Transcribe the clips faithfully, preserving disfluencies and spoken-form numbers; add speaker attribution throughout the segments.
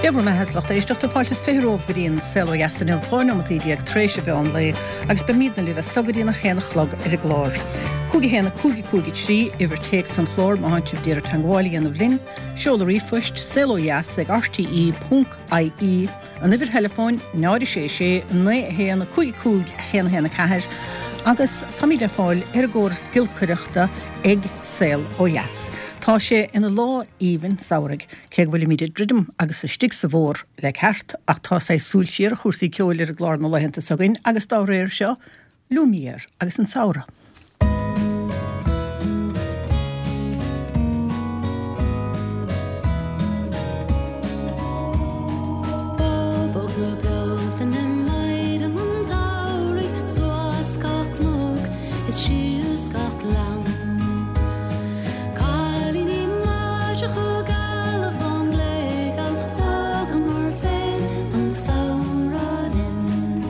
Speaker 1: Dé bhur mbeatha a lucht éisteachta fáilte is fiche romhaibh go dtí an Saol Ó Dheas inniu, dhá neomataí déag tar éis an mheán lae agus beimidne libh as so go dtí an haon a chlog ar an gclár. Cúig a haon a cúig a cúig a trí, uimhir téacs an chláir má thánn sibh d'iarraidh teagmháil a dhéanamh linn, seoladh ríomhphoist, saolodheas ag rte ponc ie, an uimhir theileafóin, náid a sé sé, naoi a haon a cúig a cúig a haon a haon a ceathair, agus táimid le fáil ar an gcóras giolcaireachta ag Saol Ó Dheas. Tá sé ina lá aoibhinn samhraidh, cé go bhfuilimid ag druidim agus istigh sa bhfómhar le ceart, ach tá saghas súil siar ar chúrsaí ceoil ar an gclár na laethanta s'againn agus dá réir seo, Lumière agus an samhradh.
Speaker 2: Bábóg na Bealtaine, maighdean an tsamhraidh, suas gach cnoc is síos gach gleann. Cailíní maidreacha geala bhánghléigeal, thógamar féin an samhradh linn.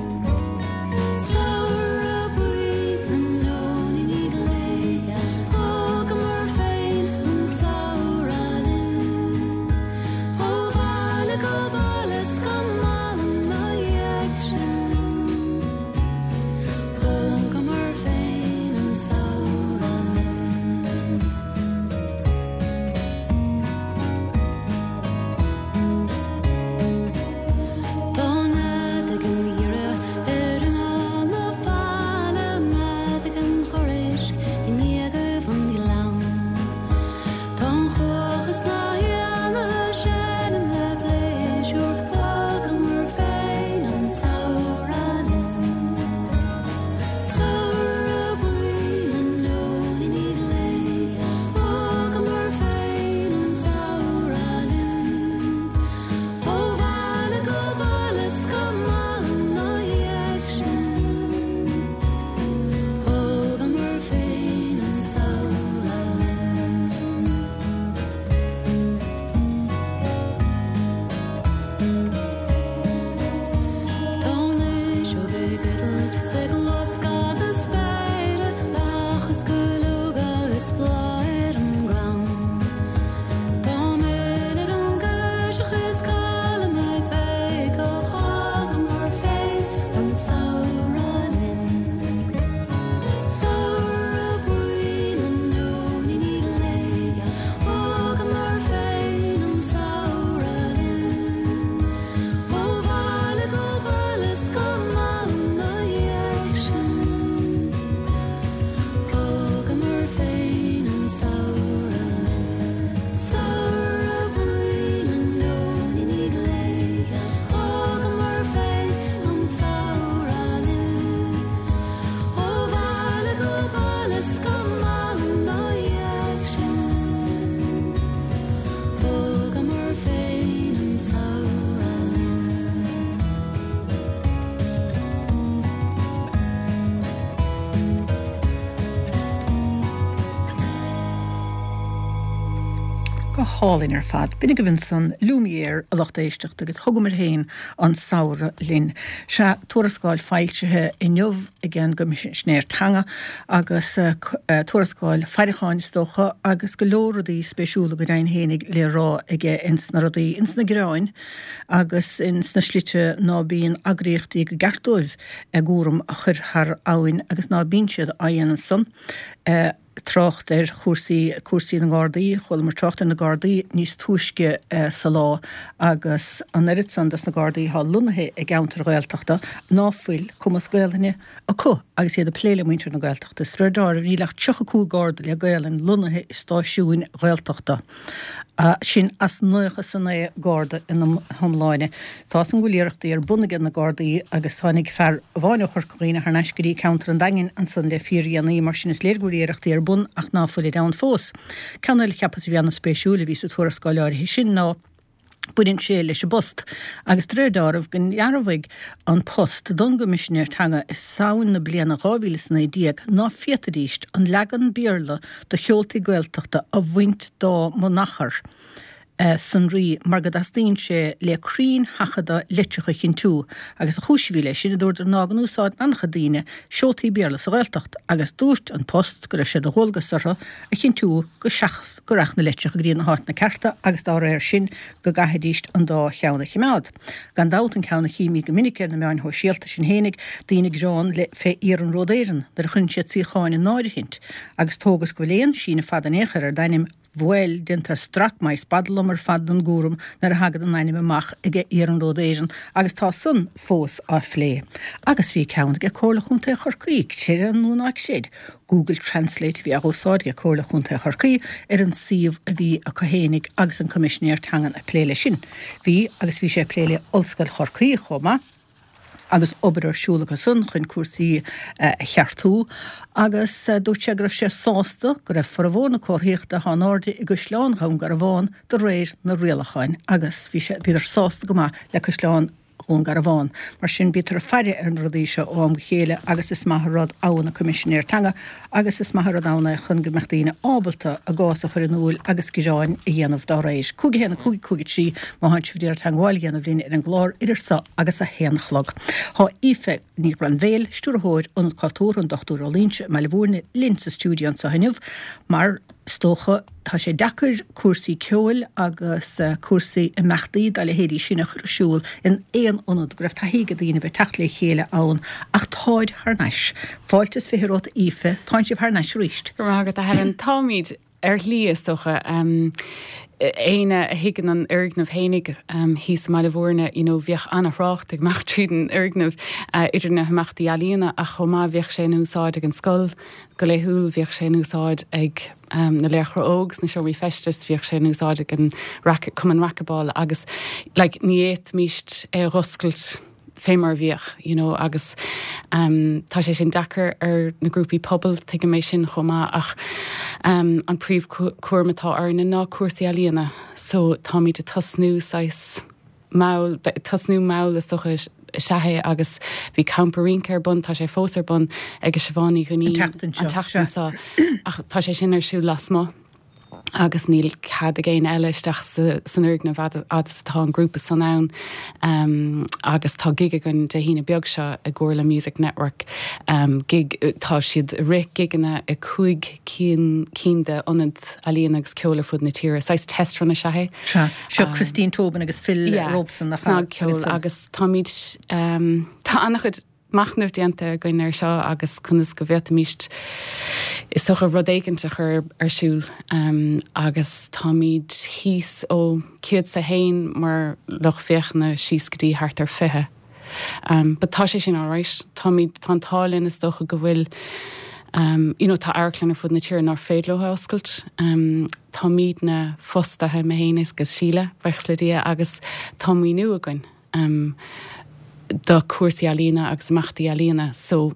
Speaker 2: Samhradh buí na nóiníní gléigeal, thógamar féin an samhradh linn. Ó bhaile go baile 's go mall ina dhiaidh sin, thógamar féin an samhradh linn. Tá nead ag an iora ar imeall na faille, nead ag an chorr-éisc i ndíogaibh an ghleann. Tá an chuach is na héanlaithe ag seinm le pléisiúr, thógamar féin an samhradh linn. Samhradh buí na nóiníní gléigeal, thógamar féin an samhradh linn. Ó bhaile go baile 's go mall ina dhiaidh sin, thógamar féin an samhradh linn. Tá an fhuiseog ag eitilt 's ag loscadh na spéire, beacha is cuileoga is bláth ar an gcrann. Tá mil ag an gcirseach is cailm ag béiceach, thógamar féin an samhradh linn. Samhradh buí na nóiníní gléigeal, thógamar féin an samhradh linn. Ó bhaile go baile 's go mall ina dhiaidh sin, thógamar féin an samhradh linn. Samhradh buí na nóiníní gléigeal, thógamar féin an samhradh linn. Ó bhaile go baile 's go mall ina dhiaidh sin, thógamar féin an samhradh linn.
Speaker 1: Go hálainn ar fad. B'in agaibh ansan Lumière a lucht éisteachta agus thógamar féin an samhradh linn. Sea, tuarascáil foilsithe inniu ag an gCoimisinéir Teanga agus tuarascáil faireacháin is dócha agus go leor rudaí spéisiúla go deimhin fhéinig le rá aige ins na rudaí ins na gearáin agus ins na slite ná bíonn eagraíochtaí go gceart dóibh a gcúram a chur thar abhainn agus ná bíonn siad á dhéanamh san. Trácht ar chúrsaí cúrsaí na nGardaí, chualamar trácht ar na Gardaí níos túisce sa lá agus an oiread san dos na Gardaí atá lonnaithe i gceantair Ghaeltachta ná fuil cumas Gaelainne acu agus iad ag plé le muintir na Gaeltachta. Is de réir dealraimh níl ach tríocha cúig Garda le Gaelainn lonnaithe i stáisiúin Ghaeltachta. Sin as nócha is a naoi Garda ina hiomláine. Tá san go bhfuil iarrachtaí ar bun ag na Gardaí agus tháinig fear amháin ó Chorca Dhuibhne thar n-ais go dtí ceantar an Daingin ansan le fíordhéanaí, mar sin is léir go bhfuil iarrachtaí ar bun ach ná fuilid ann fós. Ceann eile cheapas a bhí an-spéisiúil a bhí sa tuarascáil áirithe sin ná baineann sé leis an bpost agus de réir dealraimh go ndearbhaigh an Post don gCoimisinéir Teanga i Samhain na bliana dhá mhíle is a naoi déag ná féadfaidíst an leagan Béarla de sheoltaí Gaeltachta a bhaint dá mbunachar. sonraí mar go dteastaíonn sé le cruinnsheachadadh litreacha a chinntiú agus an chúis a bhí leis sin, a dúradar, ná go n-úsáideann an-chuid daoine seoltaí Béarla sa Ghaeltacht agus dúirt An Post go raibh sé de dhualgas orthu a chinntiú go seach go rachadh na litreacha go dtí na háiteanna cearta agus dá réir sin go gcaithfidís an dá cheann a choimeád. Gan dabht an ceann a chímid go minic ar na meáin shóisialta sin fhéinig, daoine ag gearán le fé Iarnród Éireann nuair a chuireann siad suíocháin in áirithint agus tóg is go bhfuil aon síneadh fada in aon chor ar d'ainm, bhuel, déantar strac maith is badlam ar fad den gcúram nuair a thagann an ainm amach ag Iarnród Éireann agus tá san fós á phlé. Agus bhí ceann aige Comhairle Chontae Chorcaí, creid é nó ná creid, Google Translate a bhí á úsáid ag Comhairle Chontae Chorcaí ar an suíomh a bhí acu fhéinig agus an Coimisinéir Teangan ag plé leis sin. Bhí, agus bhí sé ag plé le Ollscoil Chorcaí chomh maith. agus obair ar siúl acu san chun cúrsaí a cheartú agus dúirt sé go raibh sé sásta go raibh formhór na comharthaíochta atá in airde i gCaisleán Dhún Garbhán de réir na rialacháin agus bhí sé bhíodar sásta go maith le Caisleán Dhún Garbhán. Mar sin bítear ag faire ar na rudaí seo ó am go chéile agus is maith an rud ann an Coimisinéir Teanga agus is maith an rud ann é chun go mbeadh daoine ábalta a gcás a chur in iúil agus gearáin a dhéanamh dá réir. Cúig a haon a cúig cúig a trí má thánn sibh ag iarraidh teagmháil a dhéanamh linn ar an gclár idir seo agus a haon a chlog. Tá Aoife Ní Ghrainbhéil, Stiúrthóir Ionad Cultúrtha an Dochtúir Ó Loingsigh i mBaile Bhúirne linn sa stiúideo anseo inniu mar is dócha tá sé deacair cúrsaí ceoil agus cúrsaí imeachtaí dá leithéidí sin a chur ar siúl in aon ionad go raibh taithí ag daoine bheith teacht le chéile ann ach táid thar n-ais. Fáilte is fiche romhat Aoife, tánn sibh thar n-ais arís.
Speaker 3: Go raibh maith agat a Helen. Táimid ar shlí is dócha. Éinne a thuigeann an fhoirgneamh fhéinig thíos i mBaile Bhúirne, you know, bhíodh an-thrácht ag imeacht tríd an fhoirgneamh idir na himeachtaí ealaíona ach chomh maith bhíodh sé in úsáid ag an scoil go laethúil, bhíodh sé in úsáid ag na Laochra Óg sna seomraí feistis, bhíodh sé in úsáid ag an Cumann Racabáil agus like ní fhéadfaimíst é a dh'oscailt fé mar a bhíodh, you know, agus tá sé sin deacair ar na grúpaí pobail, tuigim é sin chomh maith ach an príomhchúram atá orainne ná cúrsaí ealaíona so táimid ag tosnú saghas mall, tosnú mall is dócha is ea é agus bhí campa rince ar bun, tá sé fós ar bun ag Siobhán Ní Dhuinnín an tseachtain seo ach tá sé sin ar siúl lasmuigh. Agus níl cead ag éinne eile isteach san fhoirgneamh fhad is atá an grúpa san ann. Agus tá gig againn Dé hAoine beag seo i gcomhar le Music Network, gig, tá siad ag rith gigeanna i cúig cinn cinn de ionaid ealaíon agus ceoil ar fud na tíre. Saghas test run is ea é.
Speaker 1: Sea. Seo Christine Tobin agus Phil Robeson nach
Speaker 3: ea? Snagcheol agus táimid, tá an-chuid machnamh déanta againn air seo agus conas go bhféadfaimíst, is dócha, rud éigint a chur ar siúl agus táimid thíos ó céad 's a haon mar lucht féachana síos go dtí thart ar fiche. But tá sé sin alright. Táimid, tá an t-ádh linn is dócha go bhfuil, you know, tá amharclann ar fud na tíre nár féidir leo a oscailt. Táimidne fostaithe, mé féin agus Síle, buíochas le Dia, agus tá maoiniú againn. do chúrsaí ealaíona agus imeachtaí ealaíona so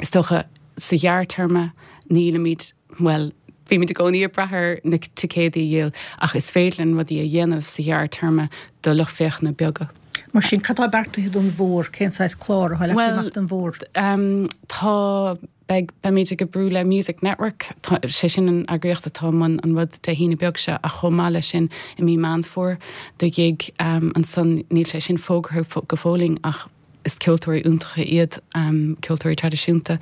Speaker 3: is dócha sa ghearrtéarma nílimid, bhuel, bímid i gcónaí ag brath ar na ticéadaí a dhíol ach is féidir linn rudaí a dhéanamh sa ghearrtéarma do lucht féachana beaga.
Speaker 1: Mar sin, cad tá beartaithe don bhfómhar? Cén saghas clár atá leagtha amach don bhfómhar?
Speaker 3: Bhuel, tá. Beidh, beimid ag oibriú le Music Network, tá, sé sin an eagraíocht atá i mbun an rud Dé hAoine beag seo ach chomh maith leis sin i mí Meán Fómhair do ghig ansan, níl sé sin fógartha go fóillín ach is ceoltóirí iontacha iad, ceoltóirí traidisiúnta.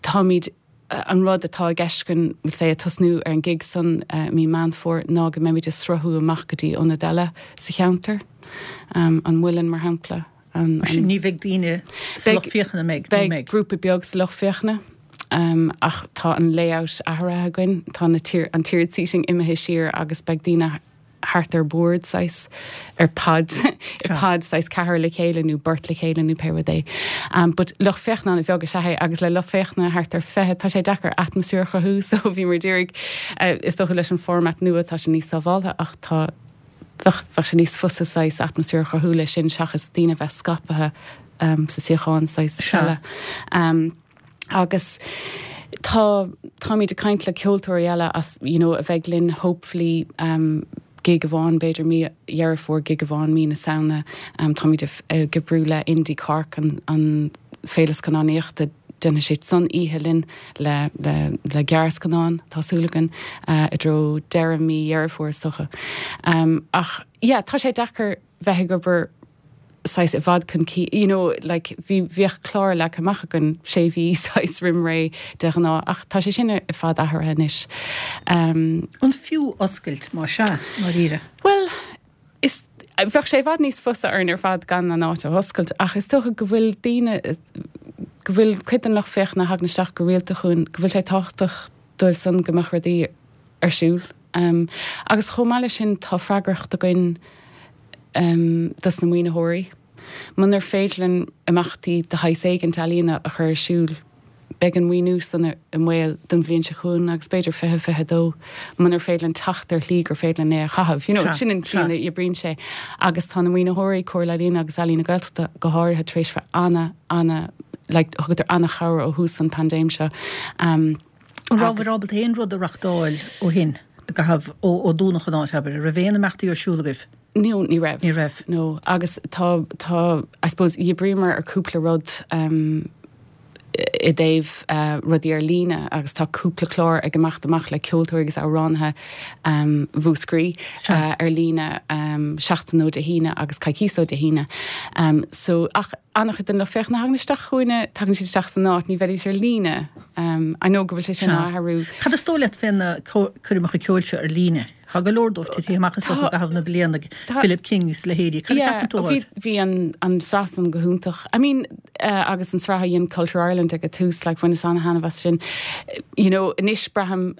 Speaker 3: Táimid, an rud atá i gceist againn, we'll say, ag tosnú ar an gig san i mí Meán Fómhair ná go mbeimid ag sruthú amach go dtí ionaid eile sa cheantar, an Muileann mar shampla.
Speaker 1: Mar sin ní bheidh daoine sa lucht féachana, an mbeidh?
Speaker 3: Beidh grúpa beag sa lucht féachana ach tá an layout athraithe againn, tá na an tiered seating imithe siar agus beidh daoine thart ar bord saghas, ar pod, i pod saghas ceathrar le chéile nó beirt le chéile nó pé rud é. But lucht féachana an-bheag is ea é agus le lucht féachana thart ar fiche tá sé deacair atmaisféar a chruthú so bhíomar ag iarraidh, is dócha leis an format nua tá sé níos sábháltha ach tá Bheadh, bheadh sé níos fusa saghas atmaisféar a chruthú leis sin seachas daoine a bheith scaipthe sa suíochán saghas eile. Agus tá, táimid ag caint le ceoltóirí eile as, you know, a bheidh linn hopefully gig amháin b'fhéidir mí Dheireadh Fómhair, gig amháin mí na Samhna. Táimid ag oibriú le Indie Cork, an, an féile scannánaíochta. Déanfaidh siad san oíche linn le le le gearrscannán, tá súil againn, i dtreo deireadh mí Dheireadh Fómhair is dócha. Ach yeah, tá sé deacair bheith ag obair saghas i bhfad chun cinn, you know, like bhí bhíodh clár leagtha amach againn sé mhí saghas roimh ré de ghnáth ach tá sé sin ar fad athraithe anois.
Speaker 1: Um, An fiú oscailt má sea, ndáiríre?
Speaker 3: Well, is bheadh sé i bhfad níos fusa orainn ar fad gan an áit a oscailt ach is dócha go bhfuil daoine go bhfuil cuid den lucht féachana a thagann isteach go rialta chugainn go bhfuil sé tábhachtach dóibh san go mbeadh rudaí ar siúl. Um, agus chomh maith leis sin tá freagracht againn um, dos na maoinitheoirí. Munar féidir linn imeachtaí de shaghas éigin ealaíona a chur ar siúl, beidh an maoiniú san i mbaol don bhliain seo chugainn agus b'fhéidir fiche fiche dó munar féidir linn teacht ar shlí gur féidir linn é a chaitheamh. You know, sin an tslí a oibríonn sé. Agus tá na maoinitheoirí, Comhairle Ealaíon agus Ealaín na Gaeltachta go háirithe tar éis bheith ana, ana, like, thugadar ana-chabhair ó thús an paindéim seo. Um,
Speaker 1: An rabhabhair ábalta aon rud a reachtáil ó shin i gcaitheamh ó ó dúnadh an áit, abair? An raibh aon imeachtaí ar siúl agaibh?
Speaker 3: No, ní raibh.
Speaker 1: Ní raibh.
Speaker 3: No, agus tá, tá, I suppose, d'oibríomar ar cúpla rud um, i dtaobh uh, rudaí ar líne agus tá cúpla clár ag imeacht amach le ceoltóirí agus amhránaithe um, Mhúscraí uh, ar líne um, seachtain ó Dé hAoine agus coicís ó Dé hAoine. Um, so ach an-chuid den lucht féachana a thagann isteach chugainne, tagann siad isteach san áit, ní bheidís ar líne. Um, I know go bhfuil sé sin á athrú.
Speaker 1: Cad is dóigh leat fé na coirmeacha ceoil seo ar líne? Tá go leor dóibh titithe amach is dócha i gcaitheamh na bliana, Philip King is leithéidí. Cad a cheapann tú
Speaker 3: dóibh? Bhí an an sraith san go hiontach. I mean, uh, agus an sraith a dhein Culture Ireland ag an tús, like, bhaineas an-thaitneamh as sin. You know, anois braithim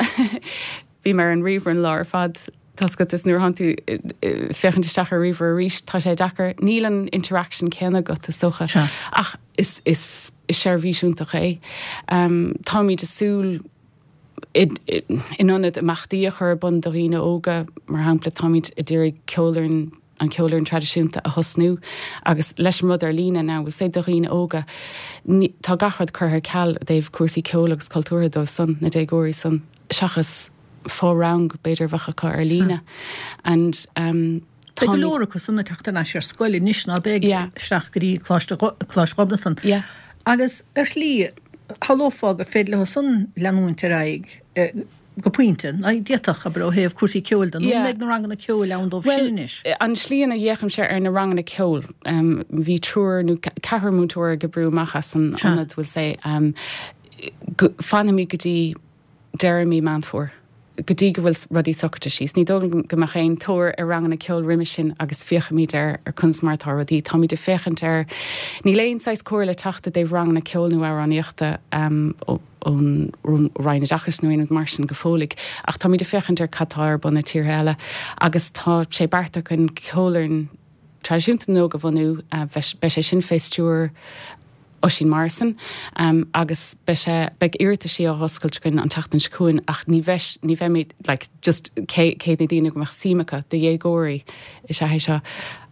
Speaker 3: bím ar an ríomhaire an lá ar fad tá a fhios agat is nuair atánn tú féachaint isteach ar ríomhaire arís tá sé deacair. Níl an interaction céanna agat is dócha. Ach is is is seirbhís iontach é. Um, táimid ag súil in ionad imeachtaí a chur ar bun do dhaoine óga, mar shampla, táimid ag iarraidh ceolfhoireann an ceolfhoireann traidisiúnta a thosnú agus leis an rud ar líne now, we'll say do dhaoine óga, tá gach rud curtha ar ceal i dtaobh cúrsaí ceoil agus cultúrtha dóibh san, na déagóirí san, seachas fo-rang b'fhéidir a bheadh acu ar líne. And um,
Speaker 1: Beidh go leor acu san ag teacht ar ais ar scoil anois ná beidh isteach go dtí Coláiste Ghobnatan. Agus ar shlí, shamhlófá gur féidir leo san leanúint ar aghaidh go pointe, ná d'fhéadfadh, abair, ó thaobh cúrsaí ceoil de, nó an mbeidh na ranganna ceoil ann dóibh sin anois?
Speaker 3: An tslí ina bhféachaimse ar na ranganna ceoil, bhí triúr nó ceathrar múinteoir ag oibriú amach as an ionad, we'll say, fanfaimid go dtí deireadh mí Meán Fómhair. go dtí go bhfuil rudaí socraithe síos. Ní dóigh liom go mbeadh aon tóir ar ranganna ceoil roimhe sin agus féachfaimid ar ar conas mar atá rudaí. Táimid ag féachaint ar, níl aon saghas comhairle ag teacht i dtaobh ranganna ceoil nó amhránaíochta ón Roinn Oideachais nó aon rud mar sin go fóilligh ach táimid ag féachaint ar cad tá ar bun i tíortha eile agus tá sé beartaithe againn ceolfhoireann traidisiúnta na n-óg a bhunú. Beidh sé sin fé stiúir Oisín Morrison, agus beidh sé, beidh iarrataisí á oscailt againn an tseachtain seo chugainn ach ní bheidh, ní bheimid, like, just cé, cé na daoine go mbeadh suim acu, do dhéagóirí is ea é seo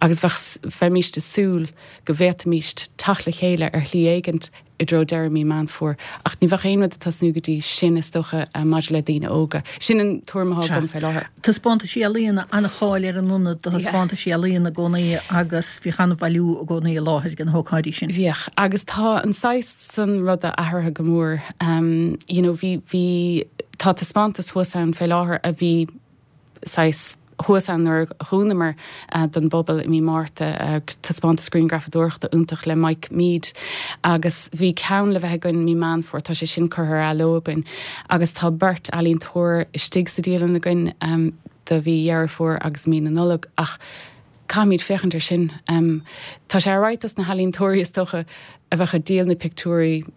Speaker 3: agus bheadh, bheimíst ag súil go bhféadfaimíst teacht le chéile ar shlí éigint i dtreo deireadh mí Meán Fómhair ach ní bheadh aon rud ag tosnú go dtí sin is dócha maidir le daoine óga. Sin an tuairim atá agam fé láthair.
Speaker 1: Taispeántaisí ealaíona, an-cháil ar an ionad do thaispeántaisí ealaíona i gcónaí agus bhíodh an-bhailiú i gcónaí i láthair ag na hócáidí sin.
Speaker 3: Bhíodh, agus tá an saghas san ruda athraithe go mór. You know, bhí, bhí, tá taispeántas thuas ann fé láthair a bhí saghas thuas ann nuair a dhúnamar don bpobal i mí Márta, taispeántas grianghrafadóireachta iontach le Mike Meade agus bhí ceann le bheith againn mí Meán Fómhair, tá sé sin curtha ar athló againn agus tá beirt ealaíontóir istigh sa dialann againn do mhí Dheireadh Fómhair agus mí na Nollag ach caithfimid féachaint ar sin. Tá sé alright dos na healaíontóirí is dócha a bheadh ag díol na pictiúirí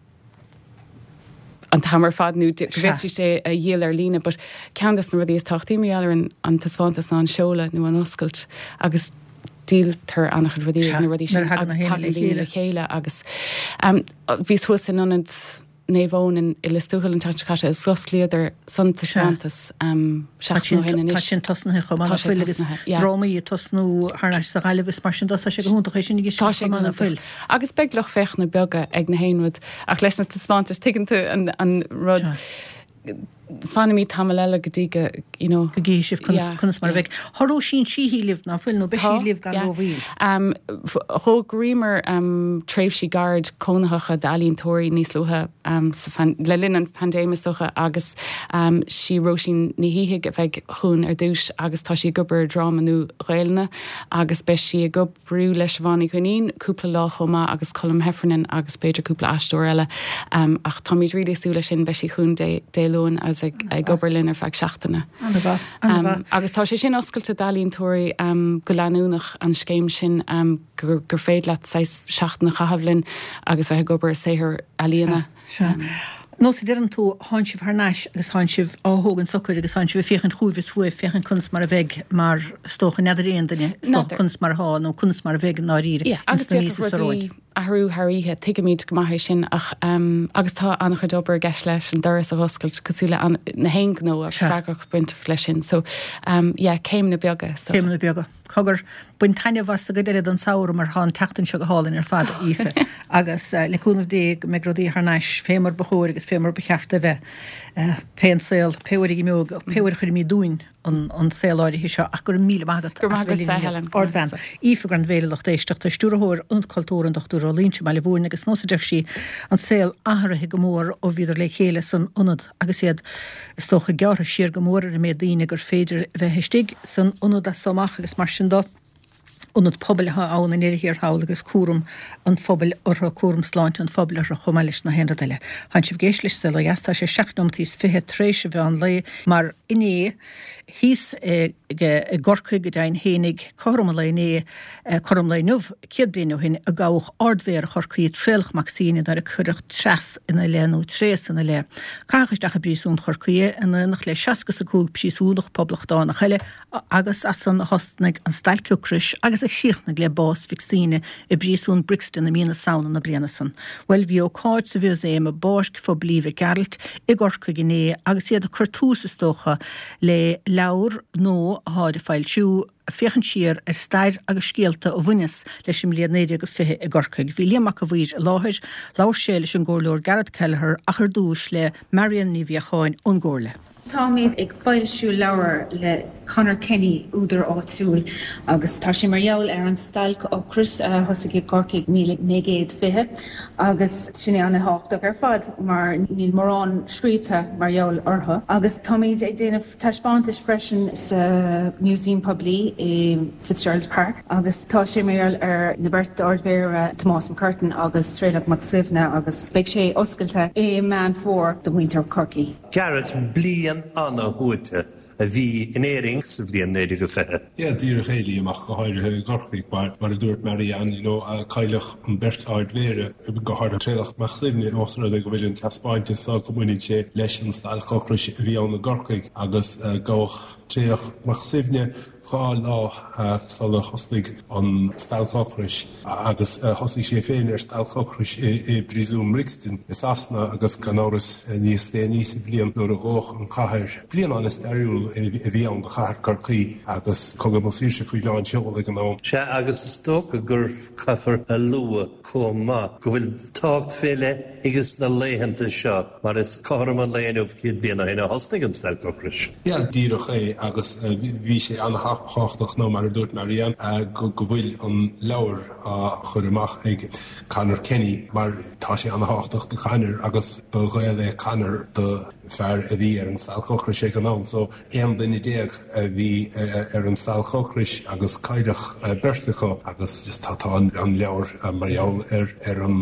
Speaker 3: an t-am ar fad nó go bhféadfaidís é a dhíol ar líne but ceann des na rudaí is tábhachtaí mar gheall ar an taispeántas ná an seoladh nó an oscailt agus díoltar an-chuid rudaí ag na rudaí sin agus tagann daoine le chéile agus bhíos thuas in ionad Naomh Eoin i Lios Tuathail an tseachtain seo caite agus d'osclaíodar san taispeántas seachtain ó shin anois.
Speaker 1: Tá sin tosnaithe chomh maith, nach bhfuil, agus drámaí ag tosnú thar n-ais sa Ghaillimh is mar sin de, tá sé go hiontach é sin ag
Speaker 3: Tá sé go hiontach. Agus beidh lucht féachana beaga ag na haon rud ach leis na taispeántais, tuigeann tú an rud, Fanfaimid tamall eile go dtí go, you know.
Speaker 1: Go gcífidh sibh conas, conas mar a bheidh. Tá Róisín Sheehy libh, ná fuil, nó beidh sí libh gan rómhoill?
Speaker 3: D'fhógraíomar tréimhsí gairid cónaitheacha d'ealaíontóirí níos luaithe le linn an phaindéim is dócha agus sí Róisín Ní Shíthigh a bheidh chugainn ar dtús agus tá sí ag obair ar dráma nua Gaelainne agus beidh sí ag oibriú le Siobhán Ní Dhuinnín cúpla lá chomh maith agus Colm Heffernan agus b'fhéidir cúpla aisteoir eile ach táimid really ag súil leis sin, beidh sí chugainn Dé Dé Luain agus ag ag obair linn ar feadh seachtaine.
Speaker 1: An-mhaith, an-mhaith.
Speaker 3: Agus tá sé sin oscailte d'ealaíontóirí go leanúnach, an scéim sin gur gur féidir leat saghas seachtain a chaitheamh linn agus bheith ag obair ar saothar ealaíona.
Speaker 1: Sea. Nós a deireann tú, thánn sibh thar n-ais agus thánn sibh á thógaint socair agus thánn sibh ag féachaint chugaibh is chugaibh, féachaint conas mar a bheidh mar is dócha, n'fheadar aon duine, is dócha, conas mar atá nó conas mar a bheidh i ndáiríre
Speaker 3: Yeah, agus
Speaker 1: ins na míosa
Speaker 3: d'fhéadfadh
Speaker 1: seo
Speaker 3: rudaí
Speaker 1: romhainn.
Speaker 3: athrú thar oíche, tuigimid go maith é sin ach agus tá an-chuid obair i gceist leis an doras a dh'oscailt cosúil le na haon ghnó agus
Speaker 1: Sea.
Speaker 3: freagracht bainteach leis sin so yeah, céimeanna beaga is dócha.
Speaker 1: Céimeanna beaga. Cogar, bain taitneamh as an gcuid eile den samhradh mar tá an tseachtain seo go hálainn ar fad, a Aoife, agus le cúnamh Dé go mbeidh rudaí thar n-ais fé mar ba chóir agus fé mar ba cheart a bheith. Pé an saol, pé uair a imeoidh, pé uair a chuirfimid dúinn an saol áirithe seo ach go raibh míle maith agat
Speaker 3: Go raibh
Speaker 1: as
Speaker 3: maith
Speaker 1: bheith
Speaker 3: agatsa,
Speaker 1: linn inniu.
Speaker 3: Helen. Go raibh maith
Speaker 1: Ardbhean.
Speaker 3: agatsa.
Speaker 1: Aoife Granville, a lucht éisteachta, Stiúrthóir Ionad Cultúrtha an Dochtúir Ó Loingsigh i mBaile Bhúirne agus nós a deir sí, an saol athraithe go mór ó bhíodar le chéile san ionad agus iad is dócha gearrtha siar go mór ar an méid daoine gur féidir a bheith istigh san ionad as so amach agus mar sin de. Ionad pobail atá ann i ndeireadh thiar thall agus cúram an phobail orthu, cúram sláinte an phobail orthu chomh maith leis na haon rud eile. Tánn sibh ag éisteacht leis Saol Ó Dheas, tá sé seacht nóimeataí is fiche tar éis an mheán lae mar inné thíos i gCorcaigh go deimhin fhéinig, cothrom an lae inné, cothrom an lae inniu, céad bliain ó shin a gabhadh Ard-Mhéara Chorcaí, Traolach Mac Suibhne, nuair a cuireadh treas ina leith nó tréas ina leith. Caitheadh isteach i bpríosún Chorcaí é in éineacht le seasca is a cúig príosúnach poblachtánach eile agus as san a thosnaigh an stailc ocrais agus a chríochnaigh le bás Mhic Suibhne i bpríosún Brixton i mí na Samhna na bliana san. Bhuel, bhí ócáid sa mhúsaem i bPáirc Phoiblí Mhic Gearailt i gCorcaigh inné agus iad ag cur tús, is dócha, le leabhar nua atáid ag foilsiú, ag féachaint siar ar stair agus scéalta a bhaineas leis an mbliain naoi déag a fiche i gCorcaigh. Bhí Liam Mac a' Mhaoir i láthair. Labhair sé leis an gComhairleoir Garret Kelleher ach ar dtúis le Marion Ní Mhiacháin ón gComhairle.
Speaker 4: Táimid ag foilsiú leabhar le Conor Kenny, údar áitiúil, agus tá sé mar gheall ar an stailc ocrais a thosaigh i gCorcaigh míle naoi gcéad fiche agus sin é an-thábhachtach ar fad mar níl mórán scríobhtha mar gheall orthu. Agus táimid ag déanamh taispeántais freisin sa Museum Poiblí i Fitzgerald's Park agus tá sé mar gheall ar na beirt Ard-Mhéara Tomás MacCurtain agus Traolach Mac Suibhne agus beidh sé oscailte i Meán Fómhair do mhuintir Chorcaí.
Speaker 5: Garret, bliain ana-shuaite a bhí in Éirinn sa bhliain naoi déag a fiche.
Speaker 6: Yeah, díreach é, Liam, ach go háirithe i gCorcaigh, mar mar a dúirt Marianne, you know, cailleadh an beirt Ard-Mhéara, go háirithe Traolach Mac Suibhne, ós rud é go bhfuil an taispeántas seo go mbaineann sé leis an stailc ocrais a bhí ann i gCorcaigh agus gabhadh Traolach Mac Suibhne dhá lá sula thosnaigh an stailc ocrais agus thosaigh sé féin ar stailc ocrais i bpríosún Brixton i Sasana agus gan amhras níos déanaí sa bhliain nuair a dódh an chathair. Bliain an-stairiúil a bhí ann do chathair Chorcaí agus Cogadh na Saoirse faoi lán seoil ag an am.
Speaker 5: Sea, agus is dócha gur caithfear a lua chomh maith go bhfuil tábhacht fé leith aige sna laethanta seo mar is cothrom an lae inniu céad bliain ó shin a thosnaigh an stailc ocrais.
Speaker 6: Yeah, díreach é agus bhí sé an-thábhachtach nó mar a dúirt Marianne go bhfuil an leabhar á chur amach ag Conor Kenny mar tá sé an-thábhachtach do Conor agus ba ghaol é Conor do fear a bhí ar an stailc ocrais ag an am so aon duine déag a bhí ar an stailc ocrais agus cailleadh beirt acu agus just tá tá an leabhar mar gheall ar ar an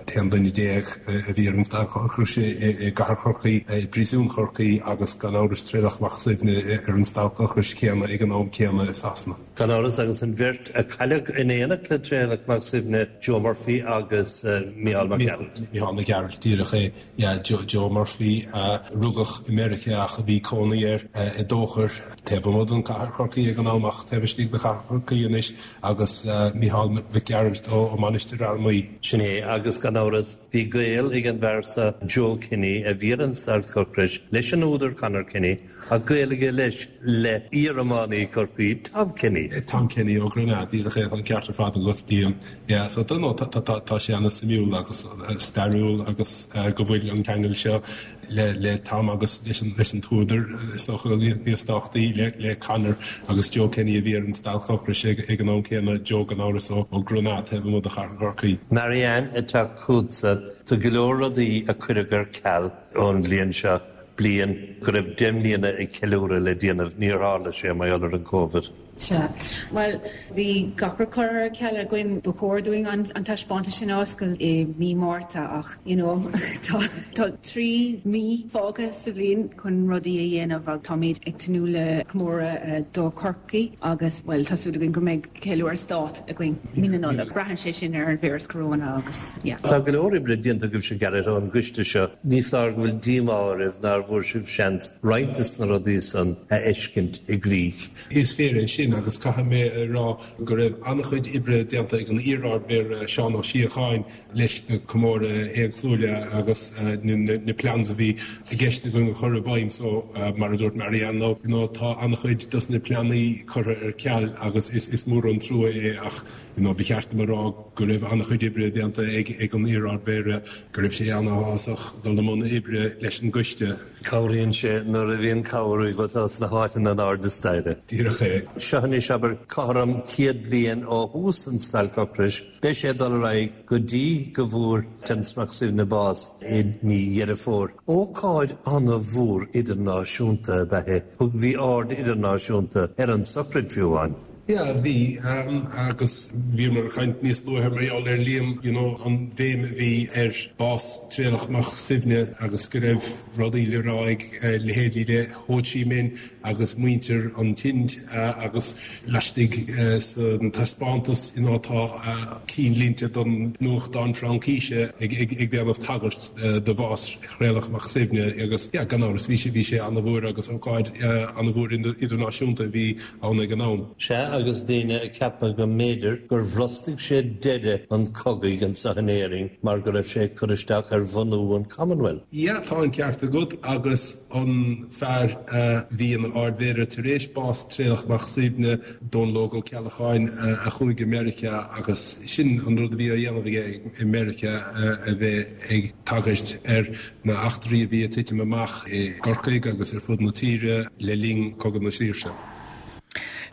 Speaker 6: t-aon duine déag a bhí ar an stailc ocrais i gcathair Chorcaí, i bpríosún Chorcaí agus gan amhras Traolach Mac Suibhne ar an stailc ocrais céanna ag an am céanna i Sasana.
Speaker 5: Gan amhras agus an bheirt a cailleadh in éineacht le Traolach Mac Suibhne, Joe Murphy agus Micheál Mac Gearailt.
Speaker 6: Micheál Mac Gearailt, díreach é, yeah, Joe, Joe Murphy a rugadh i Meiriceá ach a bhí cónaí air i dTóchar, taobh amuigh den chathair Chorcaí ag an am ach taobh istigh de chathair Chorcaí anois agus Micheál Mhic Gearailt ó Mainistir Fhear Maí.
Speaker 5: Sin é, agus gan amhras bhí gaol ag an bhfear seo Joe Kenny a bhí ar an stailc ocrais leis an údar Conor Kenny ach gaol aige leis le iar-iománaí Chorcaí Tom Kenny.
Speaker 6: Tom Kenny ó Grenagh, díreach é, tá an ceart ar fad agat, Liam. Yeah, so no, tá, tá, tá sé an-suimiúil agus stairiúil agus go bhfuil an ceangal seo le le Tom agus leis an leis an t-údar is dócha níos tábhachtaí le le Conor agus Joe Kenny a bhí ar an stailc ocrais ag ag an am céanna Joe gan amhras ó ó Grenagh taobh amuigh de chathair Chorcaí.
Speaker 5: Marianne atá chugatsa tá go leor rudaí a cuireadh ar ceal ón bhliain seo bliain go raibh deich mbliana ag ceiliúradh le déanamh níor tharla sé mar gheall ar an Covid.
Speaker 4: Sea. Bhuel, bhí gach rud curtha ar ceal againn ba chóir dúinn an, an taispeántas sin a oscailt i mí Márta ach you know, tá, tá trí mí fágtha sa bhliain chun rudaí a dhéanamh ach táimid ag tnúth le comóradh uh, do Chorcaigh agus well tá súil againn go mbeidh ceiliúradh stáit againn mí na Nollag. Braitheann sé sin ar an víreas corona agus yeah.
Speaker 5: Tá go leor oibre déanta agaibhse Gareth ón gcoiste seo ní foláir go bhfuil díomá oraibh nár bhfuair sibh seans roinnt de na rudaí san a fheiscint i gcrích.
Speaker 6: Is fíor é sin agus caithfidh mé a rá go raibh an-chuid oibre déanta ag an iar-Ardmhéara Seán Ó Síocháin leis na comóradh éagsúla agus uh, na, na, na plans a bhí i gceist againn a chur i bhfeidhm so uh, mar a dúirt Marianne no, you know, tá an-chuid dos na pleananna curtha ar ceal agus is, is mór an trua é ach you know, ba cheart dom a rá go raibh an-chuid oibre déanta ag, ag an iar-Ardmhéara go raibh sé an-áthasach dul i mbun oibre leis an gcoiste.
Speaker 5: Cabhraíonn sé nuair a bhíonn cabhrú atá sna háiteanna in airde staighre.
Speaker 6: Díreach é.
Speaker 5: Seo anois abair cothrom céad bliain ó thús an stailc ocrais, Beidh sé dul ar aghaidh go dtí go bhfuair Terence Mac Suibhne bás i mí Dheireadh Fómhair. Ócáid an-mhór idirnáisiúnta ab ea é, thug bhí aird idirnáisiúnta ar an sochraid fiú amháin.
Speaker 6: Yeah, bhí um, agus bhí mar chaint níos luaithe mar gheall ar Liam you know, an bhéim a bhí ar bás Traolach Mac Suibhne agus go raibh rudaí le rá ag uh, leithéidí le Ho Chi Minh agus muintir an Ind uh, agus laistigh uh, san taispeántas you know, tá uh, cinnlínte don nuachtán Fraincise ag, ag, ag déanamh tagairt uh, do bhás Thraolach Mac Suibhne agus yeah, gan amhras bhí sé bhí sé an-mhór agus ócáid uh, an-mhór idirnáisiúnta bhí ann ag an am.
Speaker 5: Sea agus daoine ag ceapadh go mb'fhéidir gur bhrostaigh sé deireadh an chogaidh anseo in Éirinn mar go raibh sé cur isteach ar bhunú an Commonwealth.
Speaker 6: Ja, tá an ceart agat agus an fear uh, bhí an Ardmhéara tar éis bás Traolach Mac Suibhne Dónal Óg Ó Ceallacháin uh, a chuaigh go Meiriceá agus sin an rud a bhí á dhéanamh aige i Meiriceá uh, a bheith ag tagairt ar na heachtraí a bhí ag titim amach i gCorcaigh agus ar fud na tíre le linn Cogadh na Saoirse.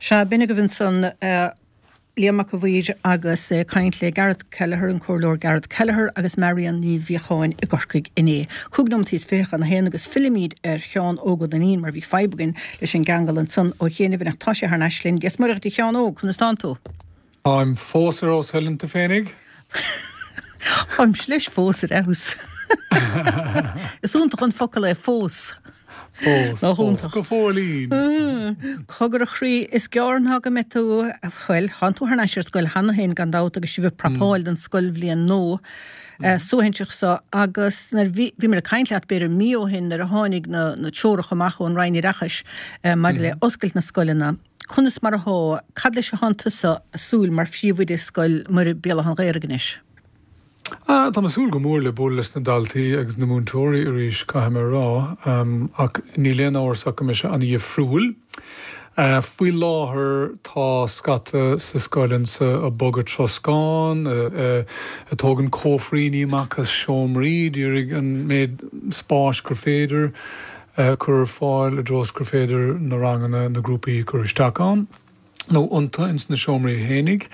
Speaker 1: Sea b'in agaibh ansan uh, Liam Mac a' Mhaoir agus uh, caint le Gareth Kelleher an Comhairleoir Gareth Kelleher agus Marianne Ní Bhíocháin i gCorcaigh inné. Cúig nóiméad is fiche chun a haon agus fillimid ar Sheán Óg Ó Duinnín mar bhí fadhb againn leis an gceangal ansan ó chianaibh ach tá sé thar n-ais linn. Dia is Muire dhuit a Sheáin Óg conas tánn tú.
Speaker 7: Táim fós ar fheabhas Helen tú féinig?
Speaker 1: Táim leis fós ar fheabhas. Is iontach an focal é fós.
Speaker 7: Fós go fóillín.
Speaker 1: Cogar a chroí is gearr ná go mbeidh tú bhuel tánn tú thar n-ais ar scoil cheana féin gan dabht agus sibh ag prapáil don scoilbhliain nua suaithinseach seo agus bhí mé ag caint leat b'fhéidir mí ó shin nuair a tháinig na na treoracha amach ón Roinn Oideachais maidir le oscailt na scoileanna. Conas mar atá cad leis atánn tusa ag súil mar phríomhoide Scoil Mhuire Béal Átha an Ghaorthaidh anois.
Speaker 7: Ah, tá súil go mór le bualadh leis na daltaí agus na múinteoirí arís caithfidh mé a rá, um, ach níl aon amhras go mbeidh sé an-difriúil. Uh, faoi láthair tá scata sa scoil anseo ag bogadh troscán, uh, uh, ag tógáil cófraí amach as seomraí, d'iarraidh an méid spáis gur féidir uh, chur ar fáil i dtreo gur féidir na ranganna na grúpaí chur isteach ann. nó iontu ins na seomraí fhéinig.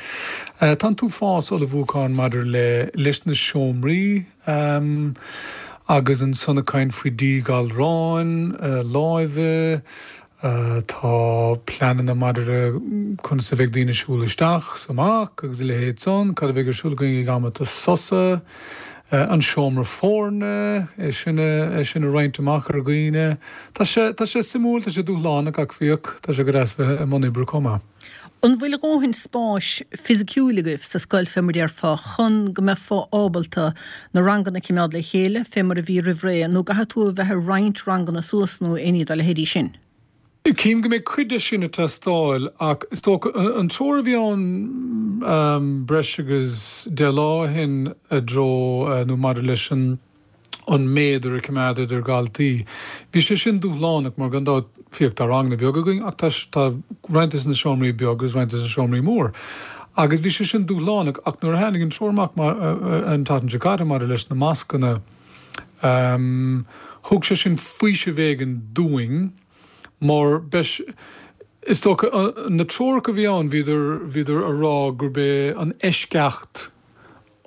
Speaker 7: Uh, tá tú fás ullmhúchán maidir le leis na seomraí um, agus ansan ag caint faoi díghalráin, uh, láimhe, uh, tá pleananna maidir le conas a bheidh daoine siúl isteach 's amach agus a leithéid san, cad a bheidh ar siúl againn ag amanta sosa, uh, an seomra foirne é sin é sin a roinnt amach ar dhaoine. Tá sé tá sé suimiúil tá sé dúshlánach ach fiach tá sé go deas bheith i mbun oibre chomh maith.
Speaker 1: An bhfuil dóthain spáis fisiciúil agaibh sa scoil fé mar a déarfá chun go mbeifeá ábalta na ranganna a choimeád le chéile fé mar a bhí roimh ré nó caithfidh tú a bheith ag roinnt ranganna suas nó aon ní dá leithéidí sin?
Speaker 7: Cím go mbeidh cuid de sin ag teastáil ach is dócha an treoir a bhí ann um, breis agus deich lá ó shin i dtreo uh, nó maidir leis an an méadar a choimeád idir dhaltaí. Bhí sé sin dúshlánach mar gan dabht fiach tá ranganna beaga againn ach tá tá roinnt de na seomraí beag agus roinnt de na seomraí mór. Agus bhí sé sin dúshlánach ach nuair a tháinig an treoir amach mar uh, an tseachtain seo caite maidir leis na mascanna um, Thug sé sin faoiseamh éigin dúinn mar beis, is dócha, na treoracha a bhí ann, bhíodar, bhíodar a rá gurb é an eisceacht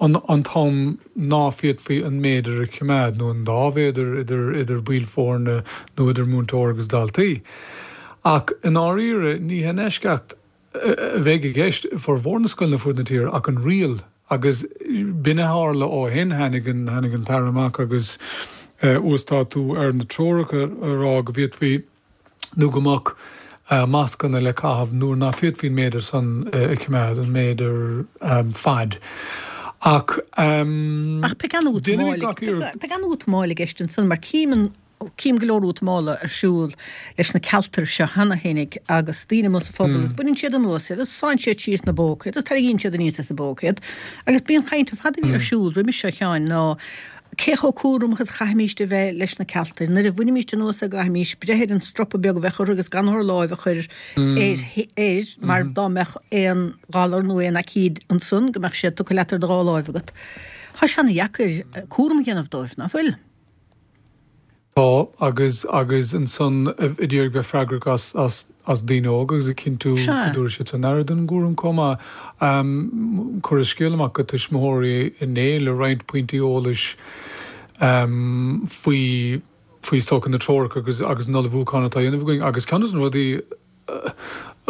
Speaker 7: an an t-am ná féadfaí an méadar a choimeád, nó an dá mhéadar idir, idir baill foirne nó idir múinteoir agus daltaí. Ach i ndáiríre, ní hé an eisceacht a bheidh i gceist i bhformhór na scoileanna fud na tíre ach an riail agus b'in a tharla ó shin, tháinig an, tháinig an tAire amach agus uasdátú ar na treoracha a rá go bhféadfaí nó go mbeadh mascanna le caitheamh nuair ná féadfaí an méadar san a choimeád, an méadar faid. Ach
Speaker 1: Ach beidh
Speaker 7: déanaimid gach iarracht.
Speaker 1: Beidh an-útamáil i gceist ansan mar cím an Cím go leor útamála ar siúl leis na cealtair seo cheana fhéinig agus daoine amuigh sa phobal agus baineann siad anuas iad agus sánn siad síos ina bpóca iad agus tarraingíonn siad aníos as a bpóca iad agus b'í an chaint ar fad a bhí ar siúl roimis seo a Sheáin ná cé chomh cúramach is a chaithfimíst a bheith leis na cealtair nuair a bhainimíst anuas é go gcaithfimís breith ar an stropa beag a bheadh orthu agus gan ár láimh a chur air air mar dá mbeadh aon ghalar nó aon aicíd ansan go mbeadh sé tugtha leat ar do dhá láimh agat. Tá sé ana-dheacair cúram a dhéanamh dóibh, ná fuil?
Speaker 7: Tá, agus, agus ansan ag iarraidh bheith freagrach as, as, as daoine óga agus ag cinntiú go
Speaker 1: Sea.
Speaker 7: dtabharfaidh siad san aire don gcúram chomh maith. Cuireadh scéal amach go tuismitheoirí inné le roinnt pointí eolais faoi, faoi is dócha na treoracha agus, agus an ullmhúchán atá á dhéanamh againn agus ceann de na rudaí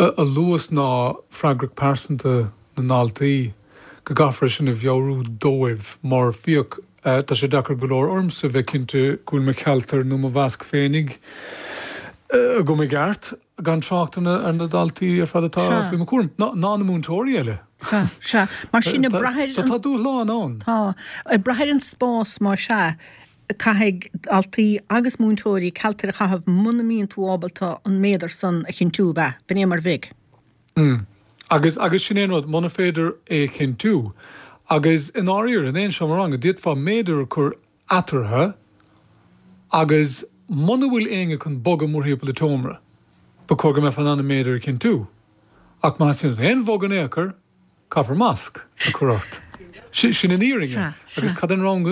Speaker 7: a luadh ná freagracht pearsanta na ndaltaí, go gcaithfear é sin a mheabhrú dóibh mar féach, tá sé deacair go leor ormsa bheith cinnte go bhfuil mo chealtar nó mo mhasc féinig agam i gceart, gan trácht ar na daltaí ar fad atá
Speaker 1: Sea.
Speaker 7: faoi mo chúram, ná na múinteoirí eile.
Speaker 1: Sea, sea. Mar sin, ag brath ar
Speaker 7: So
Speaker 1: an.
Speaker 7: tá dúshlán ann.
Speaker 1: Tá. Ag brath ar an spás, más ea, caithfidh daltaí agus múinteoirí cealtair a chaitheamh muna mbíonn tú ábalta an méadar san a chinntiú, ab ea? B'in é mar a bheidh.
Speaker 7: Mm. Agus, agus sin é an rud, muna féidir é a chinntiú, agus i ndáiríre, in aon seomra ranga, d'fhéadfá méadar a chur eatarthu agus muna bhfuil éinne chun bogadh mórthimpeall an tseomra, ba chóir go mbeifeá in ann an méadar a chinntiú. Ach má theastaíonn aon bhogadh in aon chor, caithfear masc a chur ort. Sin an fhírinne.
Speaker 1: Sea,
Speaker 7: Agus
Speaker 1: sea.
Speaker 7: cad é an rang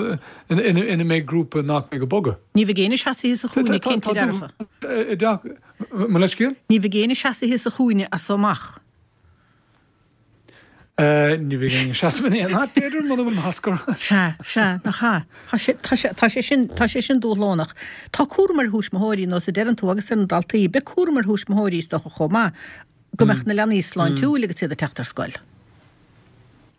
Speaker 7: ina, ina mbeidh grúpa nach mbeidh ag bogadh?
Speaker 1: Ní bheidh éinne seasaithe sa
Speaker 7: Tá,
Speaker 1: chúinne,
Speaker 7: tá,
Speaker 1: cinnte
Speaker 7: tá
Speaker 1: dearfa.
Speaker 7: dúshlán, mo leithscéal?
Speaker 1: Ní bheidh éinne seasaithe sa chúinne as so amach.
Speaker 7: Ní bheidh éinne ag seasamh in aon áit, b'fhéidir, muna bhfuil masc orthu.
Speaker 1: Sea, sea, nach ea? Tá sé, tá sé, tá sé sin, tá sé sin dúshlánach. Tá cúram ar thuismitheoirí, nós a deireann tú, agus ar na daltaí. Beidh cúram ar thuismitheoirí, is dócha, chomh maith, go mbeadh na leanaí sláintiúil agus iad ag teacht ar scoil.